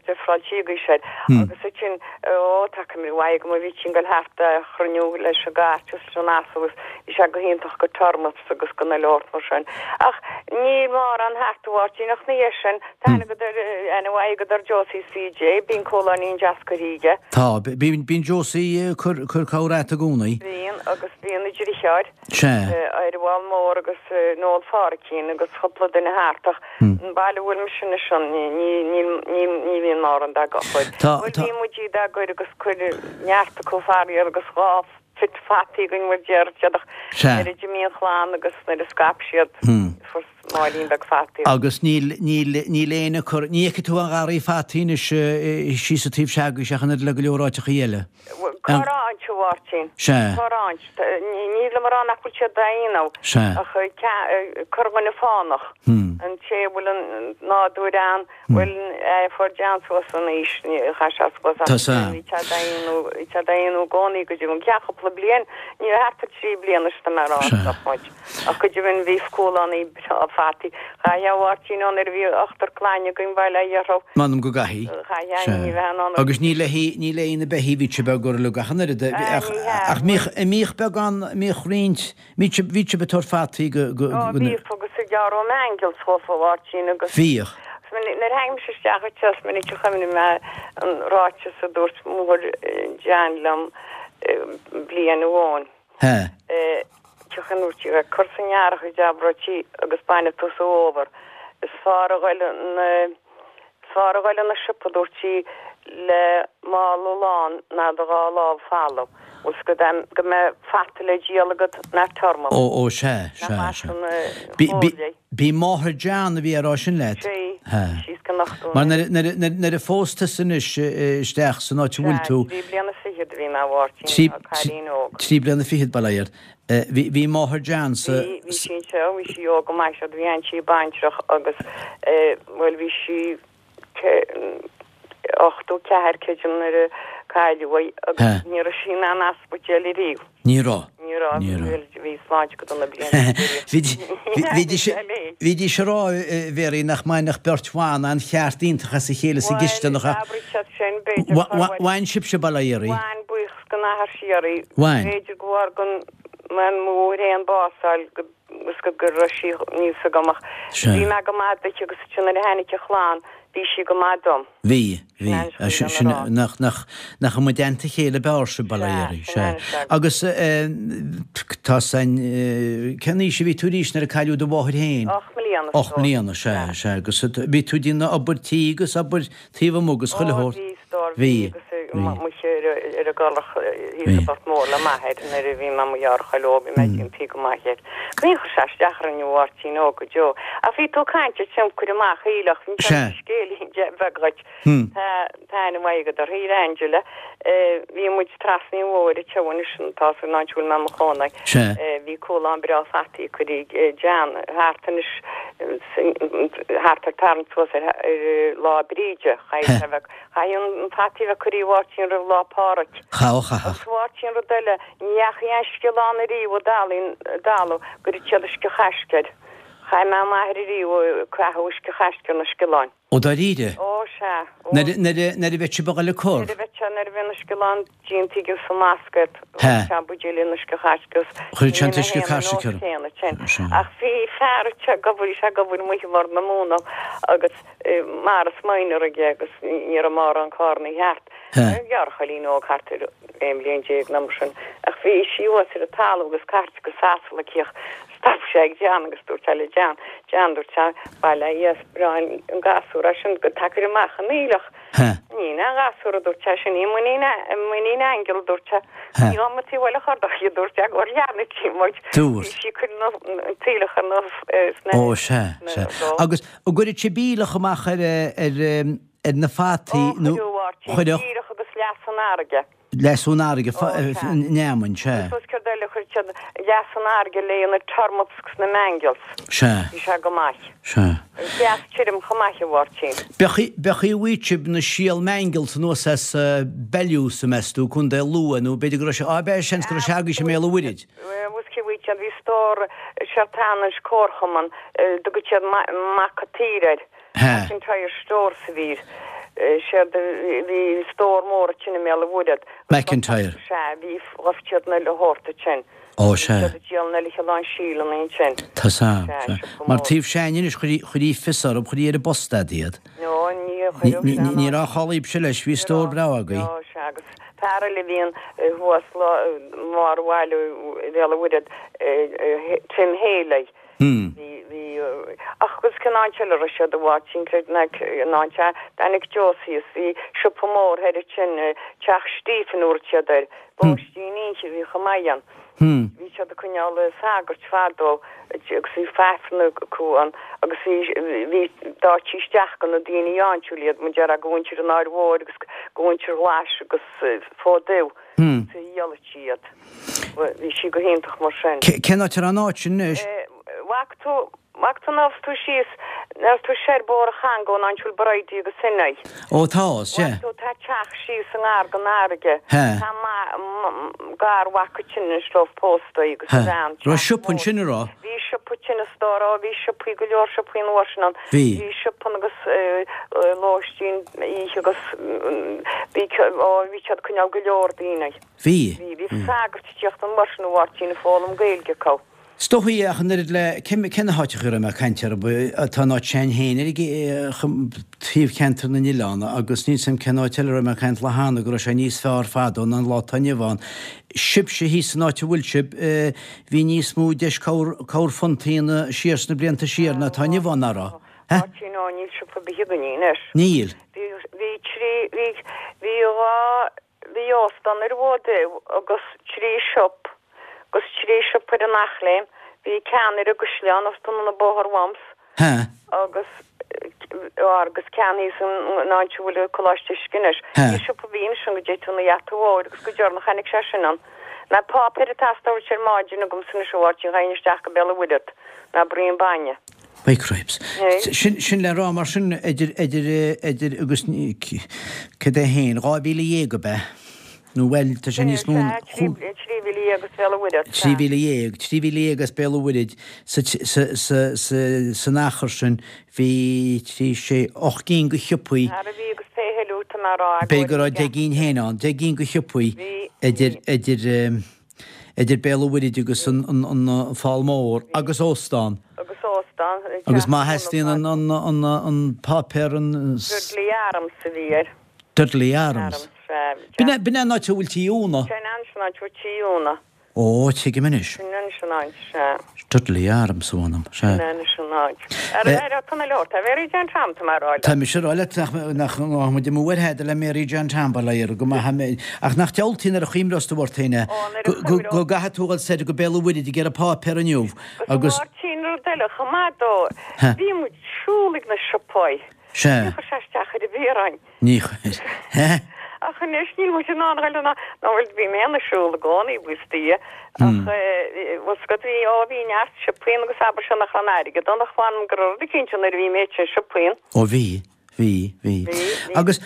difreáilte agaibhse air. Agus ansin, ó, tá cuimhne mhaith agam a bhítí ag dul thart á chruinniú leis an gcairt agus leis an asal agus bhí sé go hiontach go turnips agus go na leort mar sin. Ach níl mórán thart a Mháirtín ach ina dhiaidh sin, tá aithne agat ar, aithne mhaith agat ar Josie CJ, bíonn cúláinín deas curtha aige. Tá, bíonn, bíonn Josie ag cur, cur cabhair a'd i gcónaí. Bíonn, agus bíonn a dheartháir. Sea. Eireabhal Mór agus Noel Pháricín agus cúpla duine thart ach an baile a bhfuil mise anois ann, ní, ní, níl, ní, ní bhíonn mórán dá gcur. Tá, Bhuel tá. bhí muid iad á gcur agus cuir neart acu faraor agus dhá phit fataí againn mar deir siad ach Sea. nuair a d'imigh an chlann agus nuair a scaip siad fuair Máirín beag fataí. Agus níl, níl, níl éinne ag cur, ní fheicfidh tú aon gharraí fataí anois síos sa taobh se'agaibhse ach an oiread le go leor áiteachaí eile. Corráint, a Mháirtín. Sea. Corráint. Nílim ag rá nach bhfuil siad á ndéanamh. Sea. Ach corrdhuine fánach. An té a bhfuil an nádúr ann, bhfuil fuair John suas in aois, chaith sé suas ach Tá sea. bhí sé á dhéanamh, bhí sé á dhéanamh i gcónaí go dtí an ceann cúpla bliain, ní raibh thart ar trí bliana is tá mé ag rá, Sea. stop muid. Ach go deimhin bhí cúlánaí breá fataí. Chaithfeá a Mháirtín ó nuair a bhí ochtar clainne againn bail ó Dhia orthu. M'anam go gcaithfidh. Chaithfeá Sea. ní bheith in ann. Agus ní le haghaidh, ní le haghaidh na beithí bhí sibh ag cur leo ach an oiread, Ah, ach, ní hea. ach mbíodh, mbíodh beagán, mbíodh roinnt, bhí sibh, bhí sibh ag tabhairt fataí go, go, Ó, go, bhíodh agus ag gearradh mangels dhófa a Mháirtín agus. Bhíodh. Is minic, nuair a tháinig mise isteach anseo is minic a chuimhnigh mé an ráiteas a dúirt máthair John liom bliain amháin. He. sin dúirt sí, cur san earrach a d'abraítí agus bainfidh tú sa bhfómhar. Is fearr a ghoil an is fearr a ghoil 'na siopa dúirt sí le mála lán ná do dhá lámh folamh. Bhfuil 's agat go mbeidh fata le díol agat ná tormach. Ó ó sea, sea, sea. B'í b'í b'í máthair John a bhí á rá sin leat? Sea, síos go nochtú Mar nuair nuair nuair nuair a phós tusa anois isteach san áit a bhfuil Sea, tú trí bliana fichead a bhí mé a Mháirtín, Trí a cailín óg. trí bliana fichead bail ó Dhia ort. Bhí bhí máthair John sa Bhí bhí sí anseo, bhí sí óg go maith, sea, bhí sí baintreach agus bhuel bhí sí ochtó ceathair creidim nuair a cailleadh í agus ní raibh sí in aon ospidéal ariamh. Ní raibh. Ní raibh, bhuel bhí sláinte go dona blianta Bhídís bhídís ag rá a Mhéaraí nach mbainfeadh beirt bhan an cheart iontach as a chéile sa Bhuel, gcisteanach ach abraigh siad sin, b'fhéidir chor bhuel. bhain sibhse bail ó Dhia oraibh. Bhain, buíochas don Athair síoraí. Bhain. B'fhéidir go bhfuair go mbean mo mháthair aon bás fháil go is go go raibh sí níos agam ach Sea. bhí mé go maith duit agus ansin nuair a tháinig a chlann bhí sí go maith dom. Bhí, bhí. Sin an Sin sin sin a rá. nach nach nach amuigh i dteannta a chéile b'fhearr sibh bail ó Dhia Sea, oraibh, sin sea. an sea. Agus eh, tá san eh, cén aois a bhí tú arís nuair a cailleadh do mháthair féin? Ocht mbliana Ocht mbliana, sea, Sea. sea. Agus bhí tú ag déanamh obair tí agus obair taobh amuigh agus chuile Ó, shórt. bhí stór, Bhí, bhí agus bhí. muise ar ar an gCorrach thíos Bhí. sa Phort Mór le m'athair nuair a bhí mé i mo ghearrchaile óg, bhí mé ag déanamh tí go maith air. Ní chuir sé isteach orainn a Mháirtín óg go deo. Ach bhí tú ag caint ar tionchar amach aoileach, bhí Sea. scéilín de bheag dhuit. Hmm. Tá tá ainm mhaith agat uirthi, Angela. Bhí muid trasna an bhóthair anseo anois, tá san áit a bhfuil mé i mo chónaí. Sea. Bhí cúlán breá fataí curtha ag John thart anois thart ar tarraingt suas ar ar Lá Bríde. Chaith sé bheith chaith an fataí bheith curtha i Mháirtín roimh Lá Pádraig. Chaith, chaith. Agus Mháirtín rud eile, ní dheachaigh aon sciolán ariamh i dtalamh go raibh siad uisce Chaisc air. Chaith mé m'athair ariamh caitheamh uisce Chaisc ar na sciolláin. Ó dáiríre? Ó sea. Ó. Nuair nuair a bheadh sibh ag dul ag cur? Nuair a bheadh sé nuair a bhí na sciolláin déanta agus sa mbascaed. He. Chuir sé buidéal in uisce Chaisc agus Chuir sé an bhí t-uisce na Chaisc héin air. céanna sin. Sea. Ach bhí fear te go bhfuil sé go bhfuil muid mar na múna agus Morris Minor aige agus ní raibh mórán carranna thart. He. Gearrchailín óg thart ar aon bhliain déag nó mar sin. Ach bhí sí thuas ar an talamh agus cairt agus asal aici ach stop sé ag John agus dúirt sé le John, John dúirt sé, bail ó Dhia is breá an gasúr é sin go dtacair amach an aoileach. He. Ní na gasúr a dúirt sé sin, ní muinín muinín aingeal dúirt sé. He. Ní am tí bhfuil a chur dó dúirt sé gur leanna tí muid. Dúirt. Bhí sí cur na taoileach ar na sna Ó sea, na sea. dó. Agus an gcuireadh sibh aoileach amach ar ar ar na fataí Ó, nó chuireadh Mháirtín, chuireadh díreach agus leas an fharraige. leas ón fharraige Ó, sea. neamainn, sea. Agus céard eile chuir siad leas an fharraige le na turnips agus na mangels. Sea. Bhí sé go maith. Sea. Deas tirim chomh maith a Mháirtín. B'fhéidir b'fhéidir a bhfuil sibh na síol mangels anuas as Bellew's meas tú Contae Lú nó b'fhéidir go raibh sé á b'é seans go raibh sé agaibhse i mBéal an Mhuirthead. Bhus cé bhfuil siad bhí stór seartanais comharchumann dtugadh siad Mac an tSaoir air. He. McIntyre Stores a bhí. Séard bhí stór mór ansin i mBéal an Mhuirthead. McIntyre. Sea, bhí ghabh siad na le hórta sin. Ó sea. Siad díol na le lán síleanna ansin. Tá sam, Sea, sea. siopa Mar mór. taobh sean anois chuirí chuirí fios orthu, chuirí ar an bpost iad. No, ní chuireadh Ní sé ní ná. raibh chalaíb se leis, bhí stór breá agaibh. No, sea, agus fear eile a bhíonn thuas lá mar bhaile i Bhéal an Mhuirthead, Tim Haley. Hmm. Bhí bhí ach agus cén áit eile a raibh siad a Mháirtín creid nach an áit tháinig Josie bhí siopa mór thoir ansin teach Stephen dúirt siad air. Bóistín inche bhí chomh maith ann. Hmm. Bhí siad ag coinneáil sagairt fadó agus bhí feifne acu ann agus bhí bhí d'áití isteach go na daoine áitiúil iad mar deir go mhuintir an Áir Mhóir agus go mhuintir Ghlais agus fó dtaobh. Hmm. Sa dhíolait siad. Bhí sí go hiontach mar sin. Cén áit ar an áit sin anois? Bhfaca tú bhfaca tú ná tú síos ná tú sé bór a chango an bhfuil Bridie agus sinna. Ó tá, sea. Tú tá teach síos an ngar don fharraige. He. Tá gar bhaca sin an slóf pósta agus He. bhean. Raibh siopa ansin a raibh? Bhí siopa sin is dóra, bhí siopaí go leor siopaí an uair sin ann. Bhí. Bhí siopa agus lóistín oíche agus bhí ó bhí siad coinneáil go leor daoine. Bhí. Bhí bhí sagart teacht an uair sin a Mháirtín ag foghlaim Gaeilge acu. Is dóichí ach an oiread le cé na háiteacha a raibh mé ag caint orthu, tá an áit sin féin ar taobh Cheantar na nOileán agus níl 's a'm cén áit eile a raibh mé ag caint lá cheana go raibh sé níos fearr fadó ná an lá atá inniu ann. Sibhse thíos san áit a bhfuil sibh, bhí níos mó deis corrphuntaí ann siar sna blianta siar ná atá inniu ann, nach raibh? Máirtín, Ó, níl siopa ar bith againn anois. Níl. Bhí, bhí trí, bhí, bhí dhá, bhí óstán ar an bhFód Dubh agus trí shop, agus trí shop ar an Eachléim, bhí ceann ar an gCaisleán os cionn an bóthar uaimse agus, agus ceann thíos an áit a bhfuil Coláiste Uisce anois. Bhí siopa a bhí ansin go dté tú na gheata mhóir agus go deireanach tháinig sé sin ann. Ná páipéar ag teastáil ar maidin agamsa anois a Mháirtín, gheibhinn isteach go Béal an Mhuirthead, ná braon bainne. By cripes. Sin, sin le rá mar sin idir, idir, idir agus cad é féin, dhá mhíle dhéag ab ea? Nó bhuel, tá sé níos mó ná. Trí mhíle dhéag as Béal an Mhuirthead. Trí mhíle dhéag, trí mhíle dhéag as Béal an Mhuirthead sa, sa, sa, sa, san achar sin bhí trí, sé, ocht gcinn de shiopaí. Ara bhí agus pé thuilleadh tá mé a rá. B'fhéidir go raibh deich gcinn féin ann, deich gcinn de shiopaí idir, idir, idir Béal an Mhuirthead agus an Fál Mór agus óstán. Agus óstán. Agus má theastaíonn an páipéar an. Dudley Arms a bhí air. Dudley Arms. Arms, sea. B'in é an áit a bhfuil Tí Úna. Sin anois an áit a bhfuil Tí Úna. Ó, tuigim anois. Sin anois an áit, sea. Dudley Arms a bh'ainm, sea. Sin anois an áit. Ar ar tá na leabhar, tá Mary Jane Tom, tá mé a rá leat. Tá mise a rá leat nach nach nach muid amuigh ar thada le Mary Jane Tom, bail ó Dhia uirthi, go maith mé. Ach nach diabhaltaí nuair a chuimhneos tú ort féin é, Ó, nuair a go go chuimhneos. go gcaithfidh tú dhul soir go Béal an Mhuirthead ag iarraidh páipéar inniu Agus agus. a Mháirtín, rud eile chomh maith dó, Ha. bhí muid siúl ag na siopaí. Sea. Ní chuir sé isteach ar an bhféar orainn. Ní chuir. Ha. Ach anois níl muid in ann a ghoil ná ná bhuel bhí mé ag siúl i gcónaí buíochas do Dhia ach bhfuil 's agat bhí ó bhí neart siopaí ann agus abair seo nach raibh an airgead ann ach mh'anam go raibh rud eicínt ann nuair a bhí mé sin siopaí ann. Ó bhí, bhí, bhí. Bhí, bhí. Agus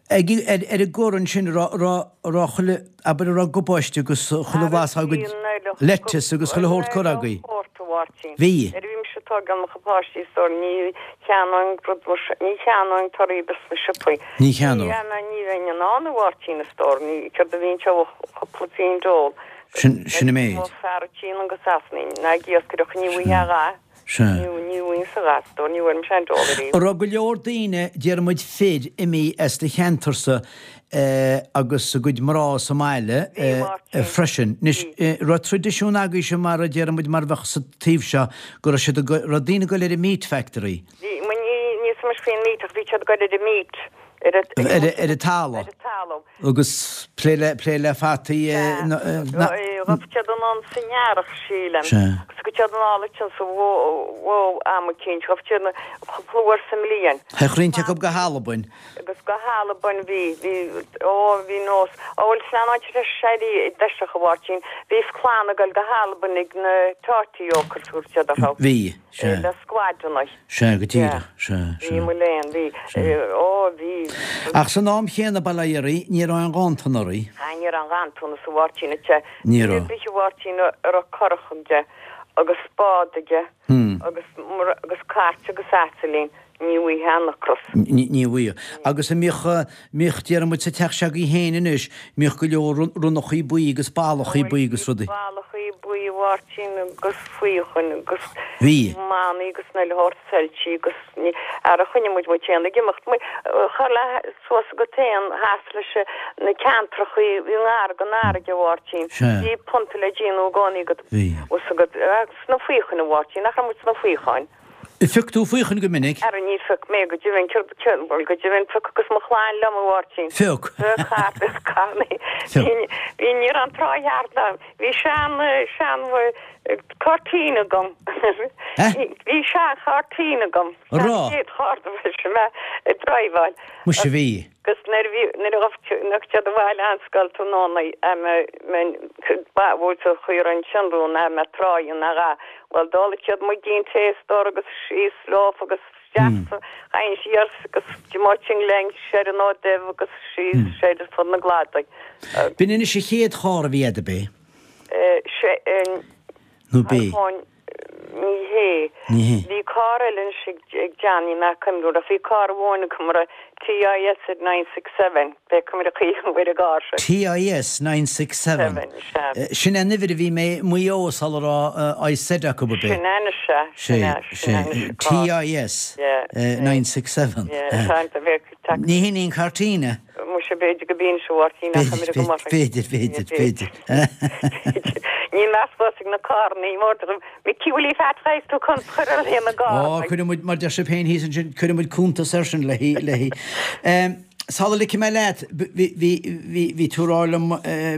ag ar ar an gcor ansin raibh raibh raibh chuile abair a raibh gabáiste agus chuile bhlas á gcuid lettuce agus chuile shórt curtha agaibh. Shórt, a Mháirtín. Bhí. Nuair a bhí mise ag tógáil mo chuid páistí is dóigh ní cheannóinn rud mar sin, ní cheannóinn torthaí ar bith sna siopaí. Ní cheannódh. Ní, ní, ní bheinn in ann, a Mháirtín, a stór, ní, céard a bhíonn sé ó chúpla pingin d'ól. Sin, sin an méid. Mo fear a tchíonn go Sasana, ná ag iascaireacht ní bhfuigheá a dhath. Sea. Ní, ní bhfuighinn-se a dhath, a stór, ní bhfuair mise aon dól ariamh. An raibh go leor daoine, déarfaidh muid fir, imithe as do cheantarsa agus a gcuid mná sa mbaile freisin. Anois, raibh traidisiún agaibhse mar a déarfaidh muid mar a bheadh sa taobh seo go raibh siad ag, raibh daoine ag dul ar an meat factory. Bhí, ní, níl 'fhios a'm faoin meat ach bhí siad ag dul ar an meat, ar an, ar, ar an talamh. Ar an talamh. Agus plé le, plé le fataí. Sea. Ghabh siad anonn san earrach, sílim. Sea. Agus ghabh siad anall ansin sa bhfómhar am eicínt, ghabh siad cúpla uair sa mbliain. Théadh roinnt acu go hAlbain. Agus go hAlbain bhí, bhí, ó bhí nós, ó bhuel sin an áit a raibh sé i dtoiseach a Mháirtín, bhí clann ag dul go hAlbain ag na Thirty Oakers a thug siad orthu. Bhí, sea. Le squadanna. Sea, go díreach, sea, sea. Bhí mo léan, bhí, ó bhí. Ach san am chéanna, bail ó Dhia oraibh, ní raibh aon ghanntan oraibh. Ah, ní raibh aon ghanntanas a Mháirtín, sea. Ní raibh. Duine ar bith a Mháirtín a raibh curach aige agus bád aige agus, agus cairt agus asailín, Ní bhfaighfeá an ocras. Ní bhfaighfeá. Agus an mbíodh, mbíodh, déarfaidh muid sa teach s'agaibh féin anois, mbíodh go leor ronnachaí buí agus ballachaí buí agus rudaí. Ballachaí buí a Mháirtín agus faochain agus Bhí. manaí agus an uile shórt soilsí agus ní, ara choinnigh muid muid féin ag imeacht. Char le suas agat féin theas leis na ceantrachaí i ngar don fharraige a Mháirtín. Sea. Bhí punta le déanamh i gcónaí agat. Bhí. Fhios agat, agus na faochain a Mháirtín, nach raibh muid sna faochain. Phioc tú faochain go minic? Ara níor phioc mé go deimhin, céard, céard, bhuel go deimhin phioc agus mo chlann liom a Mháirtín. Phioc. Phioc thart is carnaí. Phioc. Bhí, bhí, ní raibh an trá cheart ann. Bhí sean, sean cairtín agam. Eh? Bhí sean chairtín agam. An raibh? Sean chéad charr a bhí mé ag driveáil. Muise bhí. Agus nuair a bhí, nuair a ghabh, nuair a siad abhaile ón scoil tráthnóna, ba bhuail sa chaor ansin rún a mbeadh tráigh ina dhath. Bhuel d'óladh siad muigín tae a stór agus síos leofa agus isteach sa chain siar agus d'imeodh sin linn soir an Fhód Dubh agus síos soir ar fud na gcladaí. B'in anois an chéad charr a bhí a'd, ab é? Sé an. Nó b'é? Ní hé. Ní hé. Bhí carr eile anois ag Johnny McEnroe ach bhí carr amháin agam a raibh TIS nine six seven, pé cuma ar chaoi an bhfuil i gcarr sin. TIS nine six seven. Seven, sea. Sin an uimhir a bhí mé i Maigh Eo sula raibh IZ acu, ab é? Sin anois, sea. Sin é, sin anois an carr. TIS Yeah. nine six seven. Yeah, tá an bheith ag Ní hin í an carr tine? Muise b'fhéidir go bíonn sé Mháirtín ach B'fhéidir, b'fhéidir, b'fhéidir, b'fhéidir. Níl meas fós ag na carranna, mór Micí bhfuil í feadh tú chun chur ar na Ó, cuirfidh muid, mar deir sibh féin thíos ansin, cuirfidh muid cuntas air sin léi, léi. Sula ligfidh mé leat, bhí, bhí, bhí, bhí tú ag rá liom,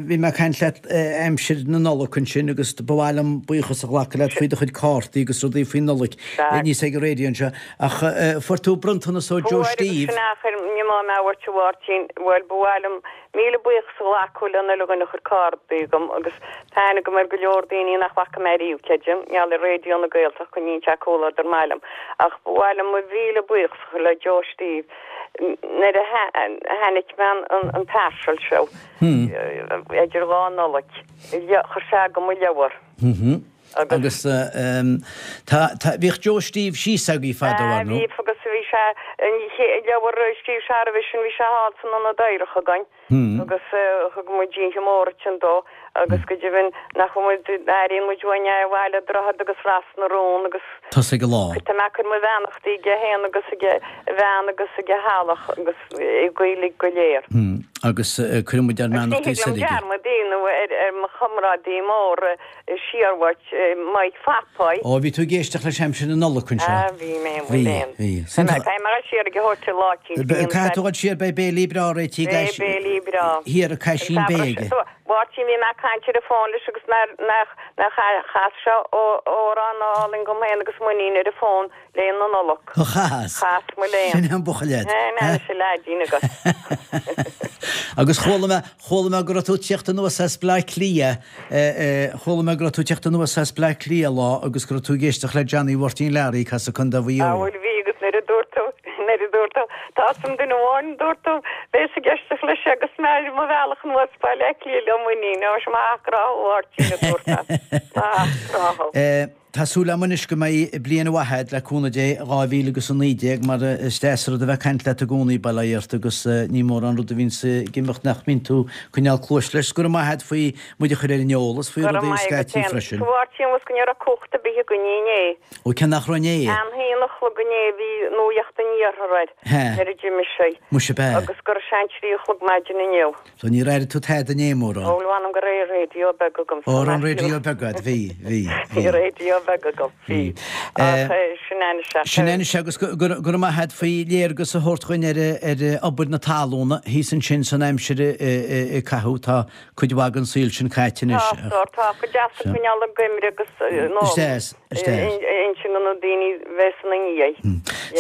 bhí mé ag caint leat aimsir na Nollag ansin agus ba mhaith liom buíochas a ghlacadh leat faoi do chuid cártaí agus rudaí faoin Nollaig níos ag an raidió anseo. Ach fuair tú bronntanas ó Joe Steve. Fuair agus sin achar, ní maith mé a thabhairt a Mháirtín, bhuel ba mhaith liom Míle buíochas a ghlacadh le an uile dhuine a chuir cártaí chugam agus tá aithne agam ar go leor daoine nach bhfaca mé riamh, creidim, gheall ar Raidió na Gaeltachta, coinníonn sé comhluadar maith liom. Ach ba mhaith liom mo mhíle buíochas a chur le Joe Steve nuair a tháinig mé an parcel seo idir dhá Nollaig, chuir sé agam mo leabhar. Agus tá, tá, bhíodh Joe Steve síos agaibh fadó, ar ndóigh. Bhí, agus bhí sé, an leabhar a scríobh sé roimhe sin, bhí sé thall san Ionad Oidhreachta againn agus thug muid oíche mhór ansin dó agus go deimhin nach bhfuil muid, airíonn muid uainn é abhaile Droichead agus Ros na Rún agus Tosaigh an lá. Tá mé ag cur mo bheannachtaí aige féin agus ag a bhean agus ag a theaghlach agus ag uilig go léir. Agus cuireann muid ár mbeannachtaí Agus ní soir thig liom aige. dearmad a dhéanamh ar ar mo chomrádaí mór siarmhait Mike Phapáí. Ó, bhí tú ag éisteacht leis aimsir na Nollag anseo. Ah, bhí mé, Bhí, bhí. bhí. Tá mé tá mé ag siar ag a thabhairt lá eicínt. Caithfidh tú dul siar, beidh béilí breá réitithe Beidh béilí breá. Thiar i Caisín Bé aige. Mháirtín bhí mé ag caint ar an bhfón leis agus nár nach nach chas sé amhrán álainn dom féin agus m'iníon ar an bhfón le na Nollag. Ó chas. Chas mo léan. Sin an buachaill leat. Ná sé leaidín agat. Agus chuala mé chuala mé go raibh tú ag tíocht anuas as Bleá Cliath, chuala mé go raibh tú ag tíocht anuas as Bleá Cliath lá agus go raibh tú ag éisteacht le Johnny Mháirtín Learaí ag casadh Contae Mhaigh Á Eo. bhuel bhí agus nuair a dúirt tú nuair a dúirt tú tá san duine amháin dúirt tú bheas ag éisteacht leis agus mé ar mo bhealach anuas Baile Átha Cliath le m'iníon ó sé maith grá Mháirtín a dúirt mé. Maith grá. Eh, Tá súil agam anois go mbeidh bliain mhaith agat le cúnamh Dé, dhá mhíle agus a naoi déag, mar is deas an rud a bheith ag caint leat i gcónaí, bail ó Dhia ort, agus ní mórán rud a bhíonns ag imeacht nach mbíonn tú ag coinneáil cluais leis. Go raibh maith agat faoi muid a chur ar an eolas faoi Go raibh rudaí maith agat scaití féin. freisin. Sa Mháirtín bhus go raibh cumhacht ar bith againn inné. Ó cé nach raibh inné? An haon a chlog inné bhí nuacht an iarthair air He. nuair a d'imigh sé. Muise ab ea. Agus go raibh sé an trí a chlog maidin inniu. So níor airigh tú tada inné mórán? Ó, bhuel mh'anam go raibh raidió beag agam. Ó, raibh an raidió beag agat, bhí, bhí, Bhí bhí. raidió beag agam, bhí. Ach sin anois é. Sin anois é agus go raibh maith agat faoi léargas a thabhairt dhuinn ar ar obair na talúna thíos ansin san aimsir a caitheadh. Tá cuid mhaith den saol sin caite anois. Tá, tá, tá. Go deas ag coinneáil an gcuimhne agus nó Is deas, is deas. insint do na daoine bheith ina ndiaidh.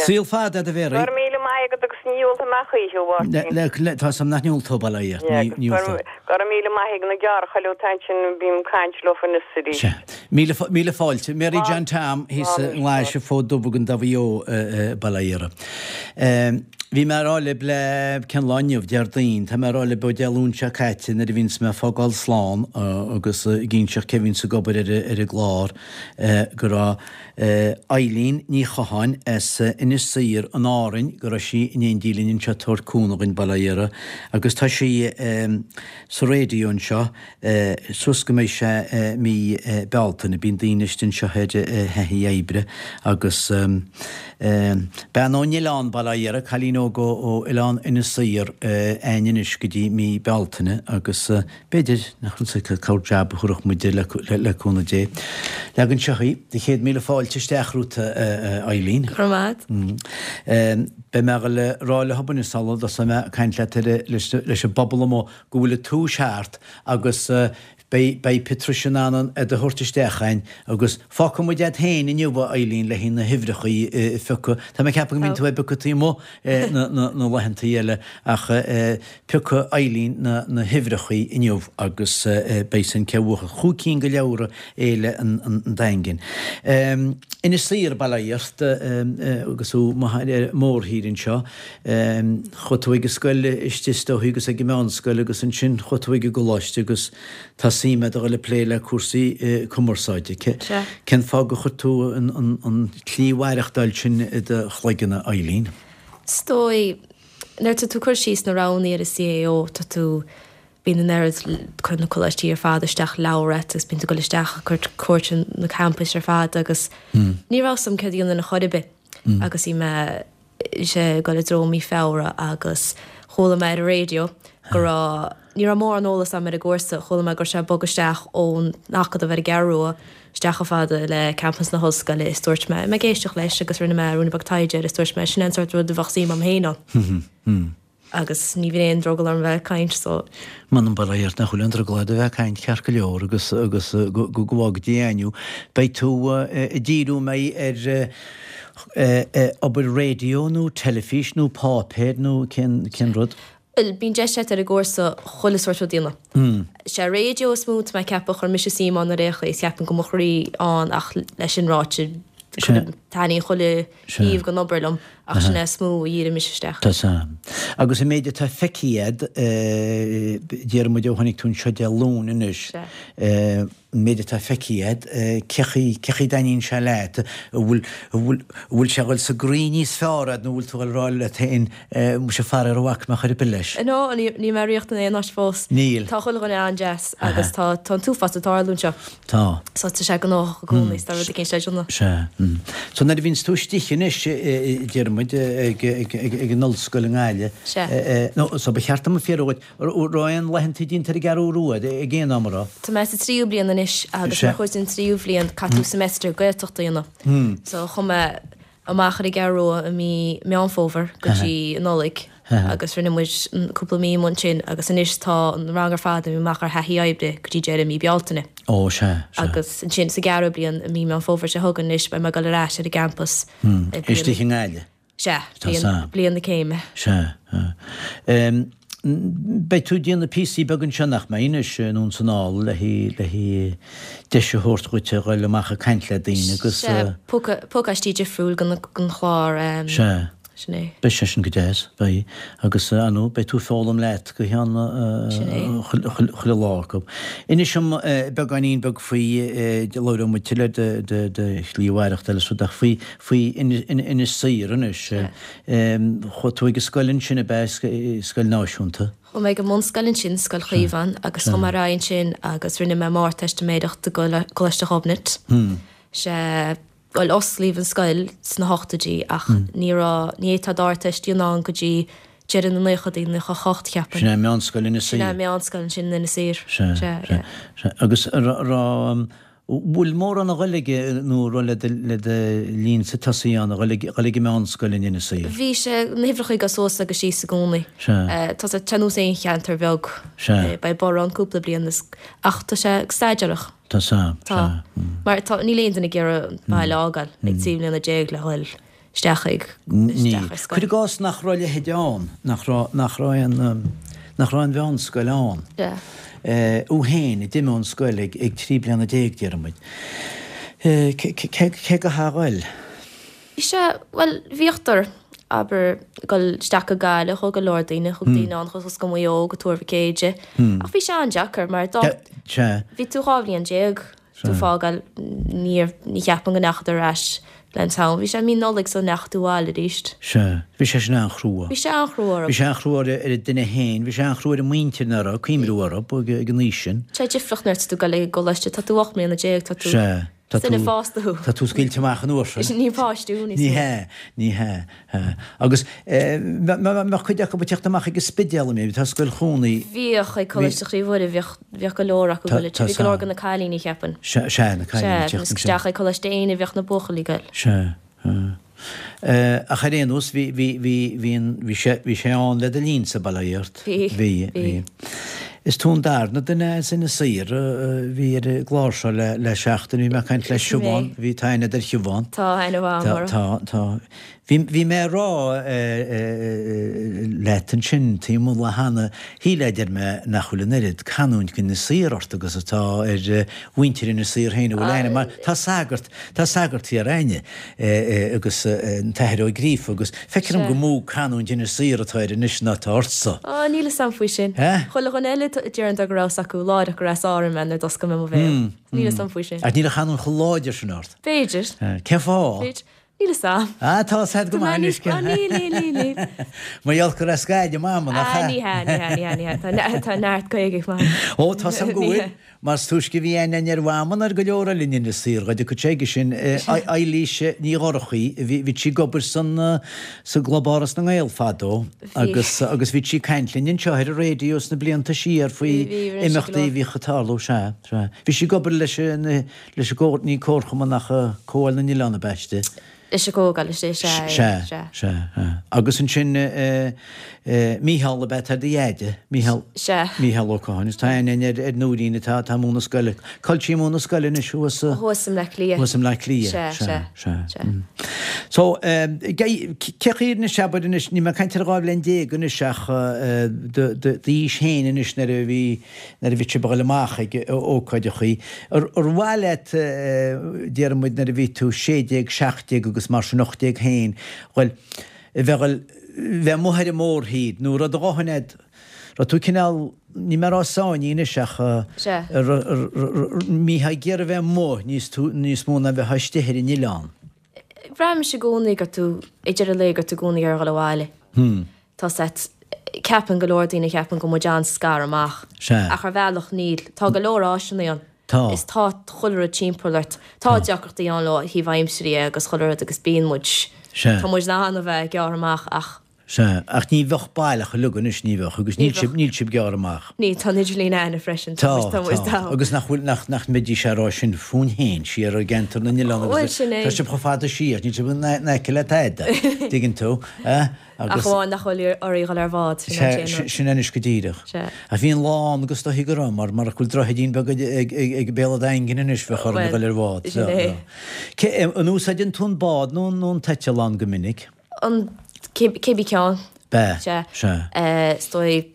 Saol fada agat a Mhary. Go raibh míle maith agat agus ní ólfaidh mé choíche, a Mháirtín. Le, le, tá sam nach n-ólfaidh tú bail ó Dhia ort. Yeah, Ní, ní agus ólfaidh. go raibh míle maith ag na gearrchailí atá ansin bím ag caint leo anois arís. Sea. Míle, míle fáilte. Mary John Tom thíos i nGlaise Fód Dubh i gContae Mhaigh Eo, bail ó Dhia orthu. Bhí mé ag rá libh le cén lá inniu, Déardaoin, tá mé ag rá libh ó Dé Luain seo caite nuair a bhíonns mé ag fágáil slán agus ag inseacht cé bhíonns ag obair ar ar an gclár go raibh Eileen Ní Chatháin as Inis Oírr in Árainn, go raibh sí in éindí linn anseo ag tabhairt cúnamh dhuinn, bail ó Dhia uirthi, agus tá sí sa raidió anseo suas go mbeidh sé mí Bealtaine. Bíonn daoine istigh anseo ar thaithí oibre agus bean ón oileán, bail ó Dhia uirthi, cailín óg ó oileán Inis Oírr againn anois go dtí mí Bealtaine agus b'fhéidir nach bhfuil a fhios agat corr jab a thabharfadh muid di le cúnamh Dé. Leag anseo í, do chéad míle fáilte isteach romhat a Eileen. Go raibh maith agat. Beidh mé ag rá le hobair sula dtosóidh mé ag caint leat leis an bpobal amuigh go bhfuil an tomhas thart agus beidh beidh Patricia in ann iad a thabhairt isteach againn agus fágfaidh muid iad féin inniu a Eileen le haghaidh na huimhreacha a phiocadh. Tá mé ag ceapadh go mbíonn tú ag piocadh taobh amuigh na na laethantaí eile ach piocfaidh Eileen na na huimhreacha inniu agus beidh sin cé bhuafadh chúig cinn de leabhra Fhéile an Daingin. Inis Oírr, bail ó Dhia ort agus thú amuigh ar an mórthír anseo. Chuaigh tú ag an scoil istigh is dóichí agus ag an meánscoil agus ansin chuaigh tú ag an gcoláiste agus tá suim agat a dhul ag plé le cúrsaí cumarsáide. Cén fáth gur chuir tú an tslí mhaireachtáil sin i do chloigeann, a Eileen? Is dóigh, Nuair atá tú ag cur síos na roghanna ar an C A O, tá tú, bíonn an oiread, cuireann na coláistí ar fad isteach leabhar ort agus bíonn tú ag dul isteach ag cur cuairt ar na campais ar fad agus ní raibh 'fhios a'm céard a dhéanfainn ar chor ar bith agus bhí mé sé ag dul i dtreo mí Feabhra agus chuala mé ar an raidió go raibh, ní raibh mórán eolas a'm ar an gcúrsa, chuala mé go raibh sé ag bogadh isteach ón Acadamh ar an gCeathrú Rua isteach chomh fada le campas na hollscoile is dúirt mé, mé ag éisteacht leis agus rinne mé ruainne beag taighde air is dúirt mé sin é an sórt rud a bheadh suim a'm féin ann. Agus ní bhíonn aon drogall orm bheith ag caint so. M'anam bail ó Dhia ort nach bhfuil aon drogall ort a bheith ag caint ceart go leor agus agus go go bhfága Dia againn thú. Beidh tú ag díriú an mbeidh ar obair raidió nó teilifís nó páipéir nó cén cén rud? Bhuel, bíonn deis agat ar an gcúrsa chuile sórt rud a dhéanamh. Sé raidió is mó tá mé ag ceapadh, chuir mise suim ann ar aon chaoi is ceapaim go mo chroí ann ach leis sin ráite, taitníonn chuile thaobh den obair liom ach sin é is mó a dhírigh mise isteach. Tá san. Agus an méid atá feicthe agat, déarfaidh muid ó tháinig tú anseo Dé Luain anois, an méid atá feicthe agat, cé chaoi, cé chaoi a dtaitníonn sé leat? An bhfuil, an bhfuil, an bhfuil sé ag dul sa gcroí níos fearr agat nó an bhfuil tú ag rá leat féin, muise faraor a bhfaca mé chor ar bith leis? No, níl mé ag riachtan aon áit fós. Níl. Tá chuile dhuine an-deas agus tá, tá an t-uafás ag tarlú anseo. Tá. So tá sé gnóthach i gcónaí, is tá rud éicint le déanamh. Sea. So nuair a bhíonns tú istigh anois, deir muid, ag, ag, ag, ag an ollscoil i nGaillimh, Sea. nó so ba cheart dom fiafraí dhíot, raibh aon laethanta déanta ar an gCeathrú Rua ag aon am, an raibh? Tá mé sa tríú bliain anois agus mar chuid den tríú bhliain caithfidh tú semester Gaeltachta a dhéanamh. So chuaigh mé amach ar an gCeathrú Rua i mí Meán Fómhair go dtí an Nollaig agus rinne muid cúpla mí amuigh ansin agus anois tá an rang ar fad imithe amach ar thaithí oibre go dtí deireadh mí Bealtaine. Ó sea, sea. Agus ansin sa gceathrú bliain i mí Meán Fómhair seo chugainn anois beidh mé ag dul ar ais ar an gcampas. Istigh i nGaillimh? Sea, bliain, bliain na céime. Sea. Beidh tú ag déanamh píosaí beaga anseo nach mbeidh anois anonn is anall le le deis a thabhairt dhuit a dhul amach ag caint le daoine agus. Sea, pacáistí difriúil den chlár. Sea. Sin é. Beidh sé sin go deas, beidh. Agus, ar ndóigh, beidh tú ag foghlaim leat go ceann chuile lá acu. Inis dom beagáinín beag faoi, labhróidh muid tuilleadh ar do shlí mhaireachtála is rud ach faoi, faoi Inis Oírr anois. Chuaigh tú ag an scoil ansin ab ea, scoil náisiúnta? Chuaigh mé ag an mbunscoil ansin, Scoil Chaomháin, agus chuaigh mé ar aghaidh ansin agus rinne mé m'Ardteistiméireacht i gColáiste Ghobnait. Sea. Bhuel, osclaíodh an scoil sna hochtóidí ach ní raibh, ní fhéadfá d'Ardteist a dhéanamh ann go dtí deireadh na naochadaí, naocha a hocht, cheapfainn. Sin é meánscoil Inis Sin é meánscoil ansin in Inis Oírr. Sea, Sea, sea, sea. Agus a raibh, bhfuil mórán a dhul ag, nó a raibh le do, le do linnse tosaí ann, a dhul ag, dhul ag an meánscoil in Inis Oírr? Bhí sé, na huimhreacha ag dul suas agus síos i gcónaí. Sea. Tá sé ar nós aon cheantar bheag. Sea. Beidh borradh ann cúpla bliain is, ach tá sé ag staidéarach. Tá sa, Tá. Mar tá, níl aon duine ag iarraidh an baile a fhágáil ag trí bliana déag le dhul isteach ag, isteach ar scoil. Cuir i gcás nach raibh a leithéid ann, nach raibh, nach raibh aon, nach raibh aon mheánscoil ann. Sea. Thú féin a d'imigh ón scoil ag, ag trí bliana déag, déarfaidh muid. Cé, cé, cé go a ghoil? Sea, bhuel, bhíodar, abair, ag dul isteach go Gaillimh, chuaigh go leor daoine, chuaigh daoine ann suas go Maigh Eo, go Tuar Mhic Éide, ach bhí sé an-deacair mar dá, bhí tú dhá bhliain déag, tú ag fágáil, ní, ní cheapaim go ndeachadar ar ais le an t-am, bhí sé mí Nollaig sula ndeachaigh tú abhaile arís. Sea, bhí sé sin an-chrua. Bhí sé an-chrua orthu. Bhí sé an-chrua ar an duine féin, bhí sé an-chrua ar a muintir nach raibh cuimhniú orthu ag an aois sin. Tá sé difriúil nuair atá tú ag dul ag an gcoláiste, tá tú ocht mbliana déag, tá tú. Sea. Tá Duine tú, fásta thú. tá tú scaoilte amach an uair sin. Ní páiste thú níos Ní mó. hea, ní hea, hea. Agus eh, mbeadh cuid acu ag teacht amach ag an Spidéal, an mbeadh? Tá Scoil Chónaí. Bhíodh ag Coláiste Chroí Mhuire, bhíodh, bhíodh go leor acu Tá, ag tá Bhí go leor san. de na cailíní, cheapfainn. Sea, sea, na cailíní Sea, ag teacht agus ansin. isteach ag Coláiste Éinne bhíodh na buachaillí ag goil. Sea, hea. Eh, ach ar aon nós, bhí, bhí, bhí, bhí an, bhí sé, bhí sé ann le do linnsa, bail ó Dhia ort. Bhí, Bhí, bhí. bhí. Is tú an darna duine as Inis Oírr a bhí ar an gclár seo le, le seachtain. Bhí mé ag caint le Sin é. Siobhán, bhí, tá aithne ar Shiobhán. Tá aithne mhaith Tá, agam uirthi. tá, tá. Bhí, bhí mé ag rá eh, leat ansin taobh amuigh cheana, shíl a deir mé nach bhfuil an oiread canúint d'Inis Oírr ort agus atá ar mhuintir Inis Oírr féin a bhfuil aithne, mar tá sagart, tá sagart thiar a'inne agus an tAthair Ó Gríofa agus feictear dom Sea. gur mó canúint Inis Oírr atá air anois ná atá ortsa. Á, níl 'fhios a'm faoi sin. Eh? Chuile dhuine eile a deireann go raibh 'fhios acu láithreach gur as Árainn mé nuair d'oscail mé mo bhéal. Níl 'fhios a'm faoi sin. Ach níl an chanúint chomh láidir sin ort. B'fhéidir. Cén fáth? B'fhéidir. Níl a fhios a'm. Ah, tá a fhios a'd go maith anois. Ah, níl, níl, níl, níl. Mar gheall gur as Gaillimh Mama, nach ea? Ah, ní hea, ní hea, ní hea, ní hea. Tá, tá neart Gaeilge ag Mama. Ó, tá a fhios a'm go bhfuil. Mar is túisce a bhí aithne a'inn ar Mhama ná ar go leor eile in Inis Oírr, dá dtiocfadh sé aige sin. Eilís Ní Dhorchaí, bhí, bhí sí ag obair san, sa gClub Áras na nGael fadó agus, agus bhí sí ag caint linn anseo ar an raidió sna blianta siar faoi imeachtaí a bhíodh ag tarlú, sea, sea. Bhí sí ag obair leis an, leis an gcomhar, ní comharchumann ach Comhdháil na nOileán ab ea istigh. Leis an gcomhdháil istigh, sea, sea, sea. Sea, sea. Agus ansin Mícheál ab ea atá do dheaide, Mícheál, Sea. Mícheál Ó Catháin. Agus tá aithne againn ar, ar Nóirín atá, atá ag múineadh scoile. Cá bhfuil sí ag múineadh scoile anois thuas sa. Thuas i mBleá Cliath. Thuas i mBleá Cliath. Sea, sea, sea, sea. sea. So, cé chaoi anois, abair anois, níl mé ag caint ar dhá bhliain déag anois ach do, do, d'aois féin anois nuair a bhí, nuair a bhí sibh ag dul amach ag ócáideachaí, ar mhaith leat, déarfaidh muid nuair a bhí tú sé déag, seacht déag agus mar sin ocht déag féin, bhuel, a bheith ag dul, bheith amuigh ar an mórthír nó raibh do dhóthain a'd, raibh tú cineál, níl mé ag rá sáinnithe anois ach mbítheá ag iarraidh a bheith amuigh níos tú, níos mó ná a bheith istigh ar an oileán. Braithimse i gcónaí go raibh tú, ag deireadh an lae go raibh tú i gcónaí ag iarraidh a dhul abhaile. Tá a fhios a'd, ceapann go leor daoine, ceapann go bhfuil muid an-scartha amach. Sea. Ach ar bhealach níl. Tá go leor áiseanna ann. Tá. Is tá chuile rud timpeall ort. Tá deacrachtaí ann ó thaobh aimsire dhe agus chuile rud agus bíonn muid, Sea. tá muid in ann a bheith gearrtha amach ach. Sea, ach ní bheadh baileach uilig anois, ní bheadh, agus Ní níl sibh, bheadh. níl sibh gearrtha amach. Níl, tá an idirlíon a'inne freisin, tá Tá, muid, tá muid tá. tá. Agus nach bhfuil, nach, nach mbeidís á rá sin fúinn féin, siar i gceantar na n-oileán Bhuel, agus sin é. tá sibh chomh fada siar, níl sibh in aice le tada, dtuigeann tú, eh? Ach amháin nach bhfuil oraibh dhul ar bhád, sin an t-aon rud. Sin anois go díreach. Sea. Ach bhí an lá ann agus dóichí go raibh, mar marach go bhfuil droichidín beag ag béal an Daingin anois bheadh orainn a dhul ar bhád. Sin é. Cé, an úsáideann tú an bád nó an t-eitleán go minic? An, cibé ceann. B'ea. Sea. Sea. Is dóigh,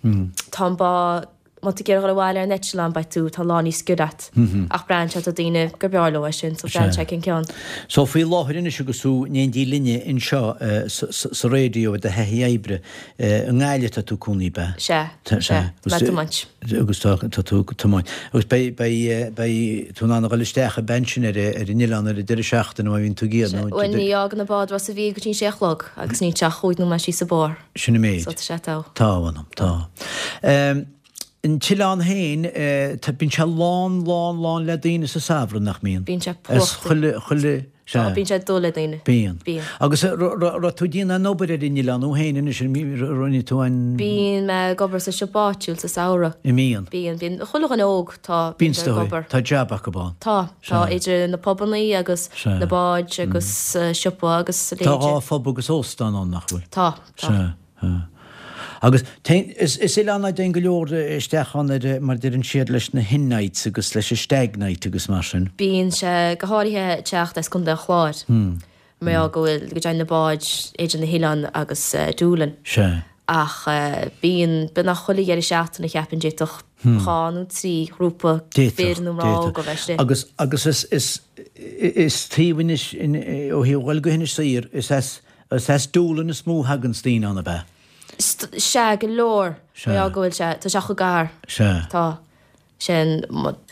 tá an bád, Má tá tú ag iarraidh dhul abhaile ar an eitleán beidh tú, tá lá níos giorra a't. Ach braitheann sé, tá daoine gur breá leo é sin, so braitheann sé cén ceann. So faoi láthair anois agus tú in éindí linne anseo sa raidió i do thaithí oibre, i nGaillimh atá tú cónaí, ab ea? Sea, sea, tá mé ag tiomáint. Agus tá tú ag tiomáint. Agus beidh, beidh, beidh tú in ann a dhul isteach ab ea ansin ar an oileán ar an deireadh seachtaine má bhíonn tú ag iarraidh nó. Bhuel ní fhágann an bád Ros a' Mhíl go dtí an sé a chlog agus níl sé ach chúig nóiméad síos an bóthar. Sin an méid. So tá sé togha. Tá, a mh'anam, tá. An t-oileán féin, tá, bíonn sé lán, lán, lán le daoine sa samhradh, nach mbíonn? Bíonn sé As plódaithe. chuile, chuile, Tá, sea. bíonn sé dubh le daoine. Bíonn. Bíonn. Agus raibh tú ag déanamh an obair ar an oileán thú féin anois, an rinne tú an. Bíonn mé ag obair sa siopa áitiúil sa samhradh. An mbíonn? Bíonn, bíonn. Chuile dhuine óg, tá, Bíonn bíonn is ag dóigh. obair. Tá jab acu ann. Tá, tá, Sea. idir na pubannaí agus Sea. na báid agus siopa agus a Tá leithéid. dhá phub agus óstán ann, nach bhfuil? Tá, tá. Sea, sea. Agus is oileán é a dtéann go leor isteach ann ar, mar a deireann siad, leis na hen nights agus leis an stag night agus mar sin. Bíonn sé go háirithe ag teacht as Contae an Chláir mar gheall go bhfuil, go dtéann na báid idir na hoileáin agus Doolin. Sea. Ach bíonn, beagnach chuile dheireadh seachtaine cheapfainn d'fhéadfadh dhá nó trí ghrúpa fir nó mná óga bheith istigh. Agus, agus is, is, is taobh Inis, ó thaobh dhul go hInis Oírr, is as, is as Doolin is mó a thaganns daoine ann, ab ea? Sea, go leor. Sea. Mar gheall go bhfuil sé, tá sé chomh gar. Sea. Tá. Sin,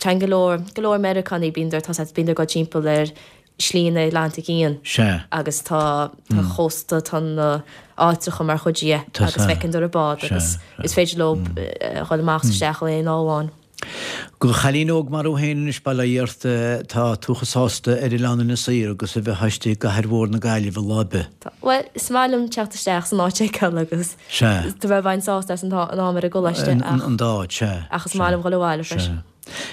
téann go leor, go leor Meiriceánaigh, bíonn tá siad, bíonn ag dul timpeall ar Shlí na Atlantaigh Fhiáin. Sea. Agus tá, tá chósta, tá na áiteacha mar chuid dhe Tá agus sea. feiceann tú ar bád Sea, agus sea. is féidir leo a dhul amach is isteach in aon lá amháin. Do chailín óg mar thú féin anois, bail ó Dhia ort, tá tú chomh sásta ar oileán Inis Oírr agus a bheith istigh i gcathair mhór na Gaillimhe lá ar bith. Tá. Bhuel, is maith liom teacht isteach san áit a fheiceáil agus Sea. tá mé bheinn sásta as an an am ar an gcoláiste ach. An dá áit, sea. Ach is maith liom dhul abhaile freisin. Sea.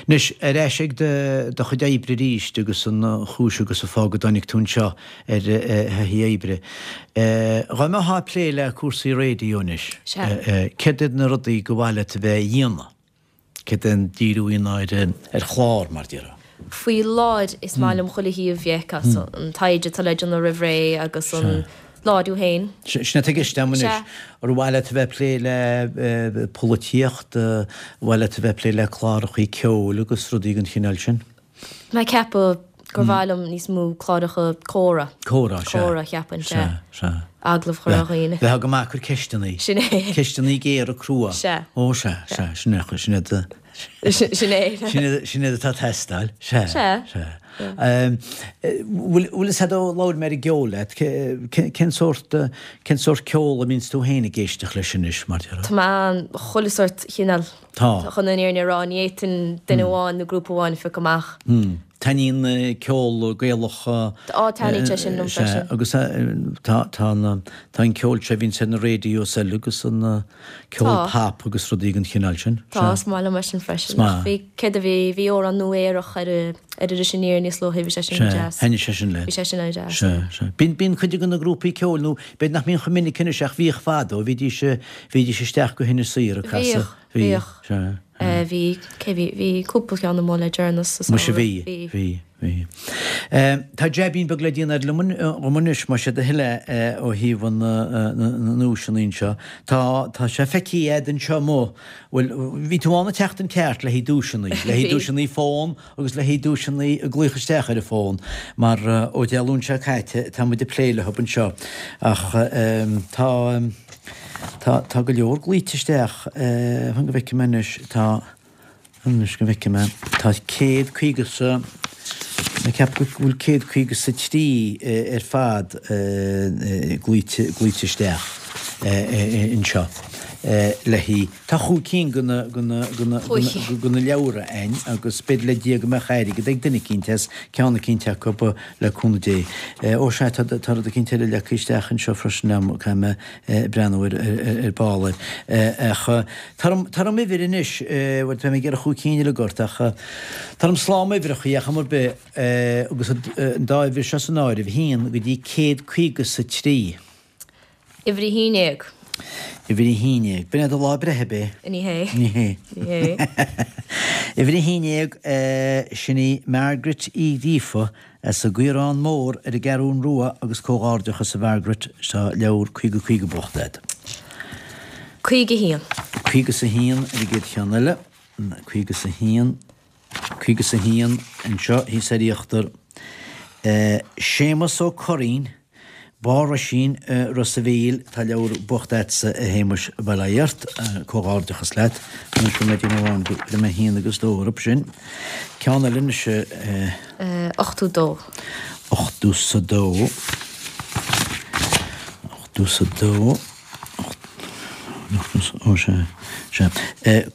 Anois, ar ais ag do do chuid oibre arís agus an chúis agus an fáth go dtáinig tú anseo ar thaithí oibre. Dá mbeifeá ag plé le cúrsaí raidió anois, Sea. céard iad na rudaí go mhaith leat a bheith a dhéanamh? Céard é an díriú a dhéanamh ar ar chlár, mar déarfá? Faoi láthair is maith liom chuile thaobh a fheiceáil, so an taighde atá le déanamh roimh ré agus an láithriú féin. Sin atá i gceist agam anois. Sea. Ar mhaith leat a bheith ag plé le polaitíocht, ar mhaith leat a bheith ag plé le clárachaí ceoil agus rudaí den chineál sin? Mé ag ceapadh gur mhaith liom níos mó cláracha comhrá. Comhrá, sea. Comhrá, cheapfainn, Sea, sea. sea. Agallamh a chur ar dhaoine. Bheith go maith ag cur ceisteannaí. Sin é. Ceisteannaí géara crua. Sea. Ó, sea, sea, sin é, sin é do. Sin é. Sin é atá ag teastáil. Sea. Sea. Bhfuil fhios a'd ó labhair mé ar an gceol leat, cén sórt, cén sórt ceol a mbíonns tú féin ag éisteacht leis anois, mar déarfá? Tá mé an chuile sórt chineál. Tá. Chun an fhírinne a rá, ní fhéadfainn duine amháin nó grúpa amháin a phiocadh amach. Taitníonn ceol Gaelach. Á, taitníonn sé sin liom freisin. Agus tá, tá an, tá an ceol seo a bhíonns ar na radios eile agus an ceol pop agus rudaí den chineál sin. Tá, is maith liom é sin freisin. Ach bhí, céard a bhí, bhí amhrán nua aerach ar ar Iris Aniar níos luaithe, bhí sé sin deas. Sea, thaitnigh sé sin leat. Bhí sé sin an-deas. Sea, sea. Bíonn, bíonn cuid de na grúpaí ceoil, nó b'fhéidir nach mbíonn chomh minic anois ach bhíodh fadó, bhídís, bhídís isteach go hInis Oírr ag casadh. Bhíodh, bhíodh. Sea. Bhí, cé bhí, bhí cúpla ceann amuigh le deireanas sa samhradh. Muise bhí, bhí, bhí. Tá jaibín beag le déanamh liom anois, más é do thoil é, ó thaobh an, na nduaiseanna anseo. Tá, tá sé feicthe a'd anseo amuigh, bhuel, bhí tú ann an tseachtain ceart le haghaidh duaiseanna, le haghaidh duaiseanna fón agus le haghaidh duaiseanna ag glaoch isteach ar an bhfón, mar ó Dé Luain seo caite tá muid ag plé leo anseo. Ach tá, tá, tá go leor glaoite isteach, fan go bhfeicfidh mé anois, tá, anois go bhfeicfidh mé, tá céad caoga 's a, mé ag ceapadh go bhfuil céad caoga 's a trí ar fad glaoite, glaoite isteach anseo le haghaidh, tá chúig cinn de na, de na, de na, de na leabhra a'inn agus b'fhéidir le Dia go mbeadh airgead ag duine eicínt as ceann eicínt acu le cúnamh Dé. Ó sea, tá, tá rud eicínt eile leagtha isteach anseo freisin a'm, caithfidh mé breathnú ar, ar ball air. Ach tá orm, tá orm uimhir anois, bhuel tá mé ag iarraidh chúig cinn uilig ort ach tá orm slám uimhreacha ar chuma ar bith agus an dá uimhir seo san áireamh, a haon go dtí céad caoga 's a trí. Uimhir a haon déag. Uimhir a haon déag. B'in é do lá breithe, ab é? Ní hé. Ní hé. Ní hé. Uimhir a haon déag, sin í Margaret Uí Ghríofa as an gCaorán Mór ar an gCeathrún Rua agus comhghairdeachas a Mhargaret, tá leabhar caoga caoga buachta agat. Caoga a haon. Caoga 's a haon ar an gcéad cheann eile. Caoga 's a haon. Caoga 's a haon anseo thíos ar íochtar. Séamus Ó Curraoin. Barr Roisín, Ros a' Mhíl, tá leabhar buachta a'dsa a Shéamuis, bail ó Dhia ort, comhghairdeachas leat. Anois go mbeidh duine amháin go raibh mé haon agus dó orthu sin. Ceann eile anois a. Ochtó dó. Ochtó 's a dó. Ochtó 's a dó. Ó sea, sea.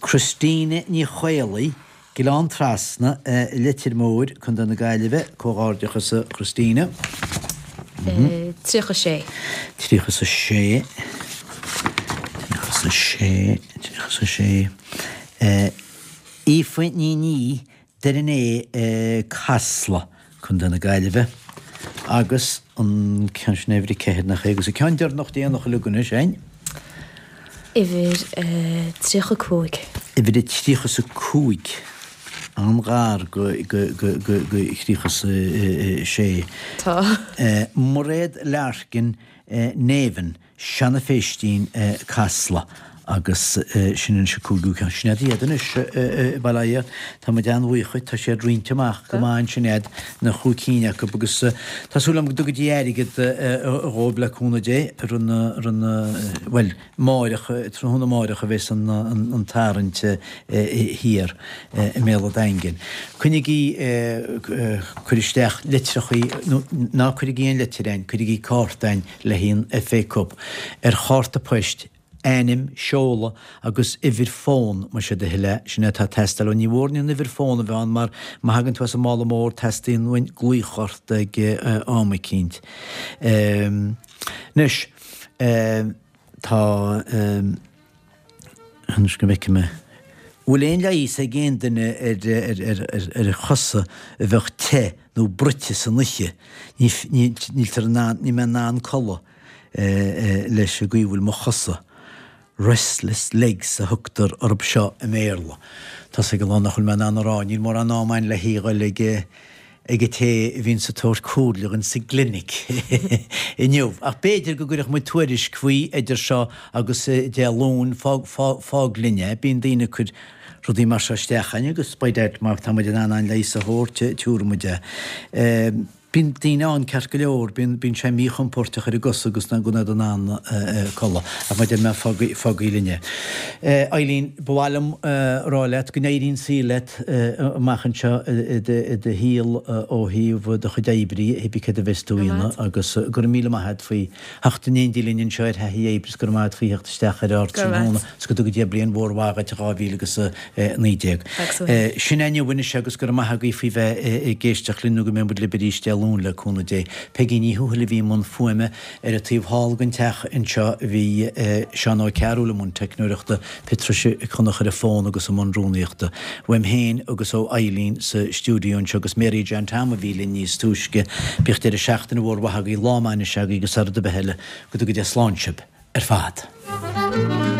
Christina Ní Chaolaigh, Gleann Trasna, Leitir Móir, Contae na Gaillimhe, Comhghairdeachas a Christina. Tríocha sé. Tríocha 's a sé. Tríocha 's a sé. Tríocha 's a sé. Aoife Ní Ní, Doire an Fhéich, Casla, Contae na Gaillimhe. Agus an ceann sin uimhir a ceathair nach é agus an ceann deireanach déanach uilig anois, hein? Uimhir tríocha cúig. Uimhir a tríocha 's a cúig. An-ghar go go go go go thríocha 's a sé. Tá. Mairéad Larkin, Neven, Seanadh Phéistín, Casla. Agus sin anois an cúigiú ceann. Sin iad iad anois, bail ó Dhia. Tá muid an-bhuíoch dhuit. Tá siad roinnte amach go maith ansin a'd, na chúig cinn acu agus tá súil agam go dtuga Dia airgead dhóibh le cúnamh Dé ar an, ar an, bhuel, amáireach, tráthnóna amáireach a bheas an, an tarraingt thiar i mBéal an Daingin. Coinnigí, cuir isteach litreachaí, nó ná cuirigí aon litir a'inn, cuirigí cárta a'inn le haghaidh an FA Cup ar chárta poist, ainm, seoladh agus uimhir fón, más é do thoil é, sin é atá ag teastáil. Ní mhór aon uimhir fón a bheith ann mar má thagann tú as an mála mór teastaíonn uainn glaoch ort ag am eicínt. Anois, tá, anois go bhfeicfidh mé, bhfuil aon leigheas ag aon duine ar chosa a bheadh te nó bruite san oíche? Níltear in ann, níl mé in ann codladh. leis an gcaoi a bhfuil mo chosa. Restless legs a thugtar orthu seo i mBéarla. Tá's ag a lán nach bhfuil mé in ann a rá, níl mórán ama a'inn le a dhul ag ag an té a bhíonns ag tabhairt comhairle dhúinn sa gclinic inniu. Ach b'fhéidir go gcuirfeadh muid tuairisc faoi idir seo agus Dé Luain, fág, fág, fág linn é. Bíonn daoine ag cur rudaí mar seo isteach a'inn agus by dad má tá muid in ann an leigheas a thabhairt, tabharfaidh muid é. Bíonn daoine ann ceart go leor, bíonn, bíonn sé míchompóirteach ar a gcosa agus ná go in ann codladh. Ach mar a deir mé, fágaigí, fágaigí linn é. Eileen, ba mhaith liom a rá leat go n-éirí an saol leat amach anseo i do, i do shaol ó thaobh do chuid oibre, cibé céard a bheas tú a dhéanamh agus go raibh míle maith agat faoi theacht in éindí linn anseo ar Thaithí Oibre is go raibh maith agat faoi theacht isteach ar Ardtráthnóna is go dtuga Dia bliain mhór mhaith dhuit i dhá mhíle agus a naoi déag. Sin é inniu anois agus go raibh maith agaibh faoi bheith ag éisteacht linn nó go mbeidh muid libh arís Dé Luain le cúnamh Dé. Peigí Ní Thuathail a bhí i mbun fuaime ar an taobh thall den teach anseo bhí Seán Ó Cearúil i mbun teicneoireachta, Patricia Mhic Conchúir ar an bhfón agus i mbun rúnaíochta. Uaim féin agus ó Eileen sa stiúideo anseo agus Mary John Tom a bhí linn níos túisce. Bíodh deireadh seachtaine mhór mhaith agaibh, lá maith anois agaibh agus sara rud ar bith eile, go dtuga Dia slán sibh ar fad.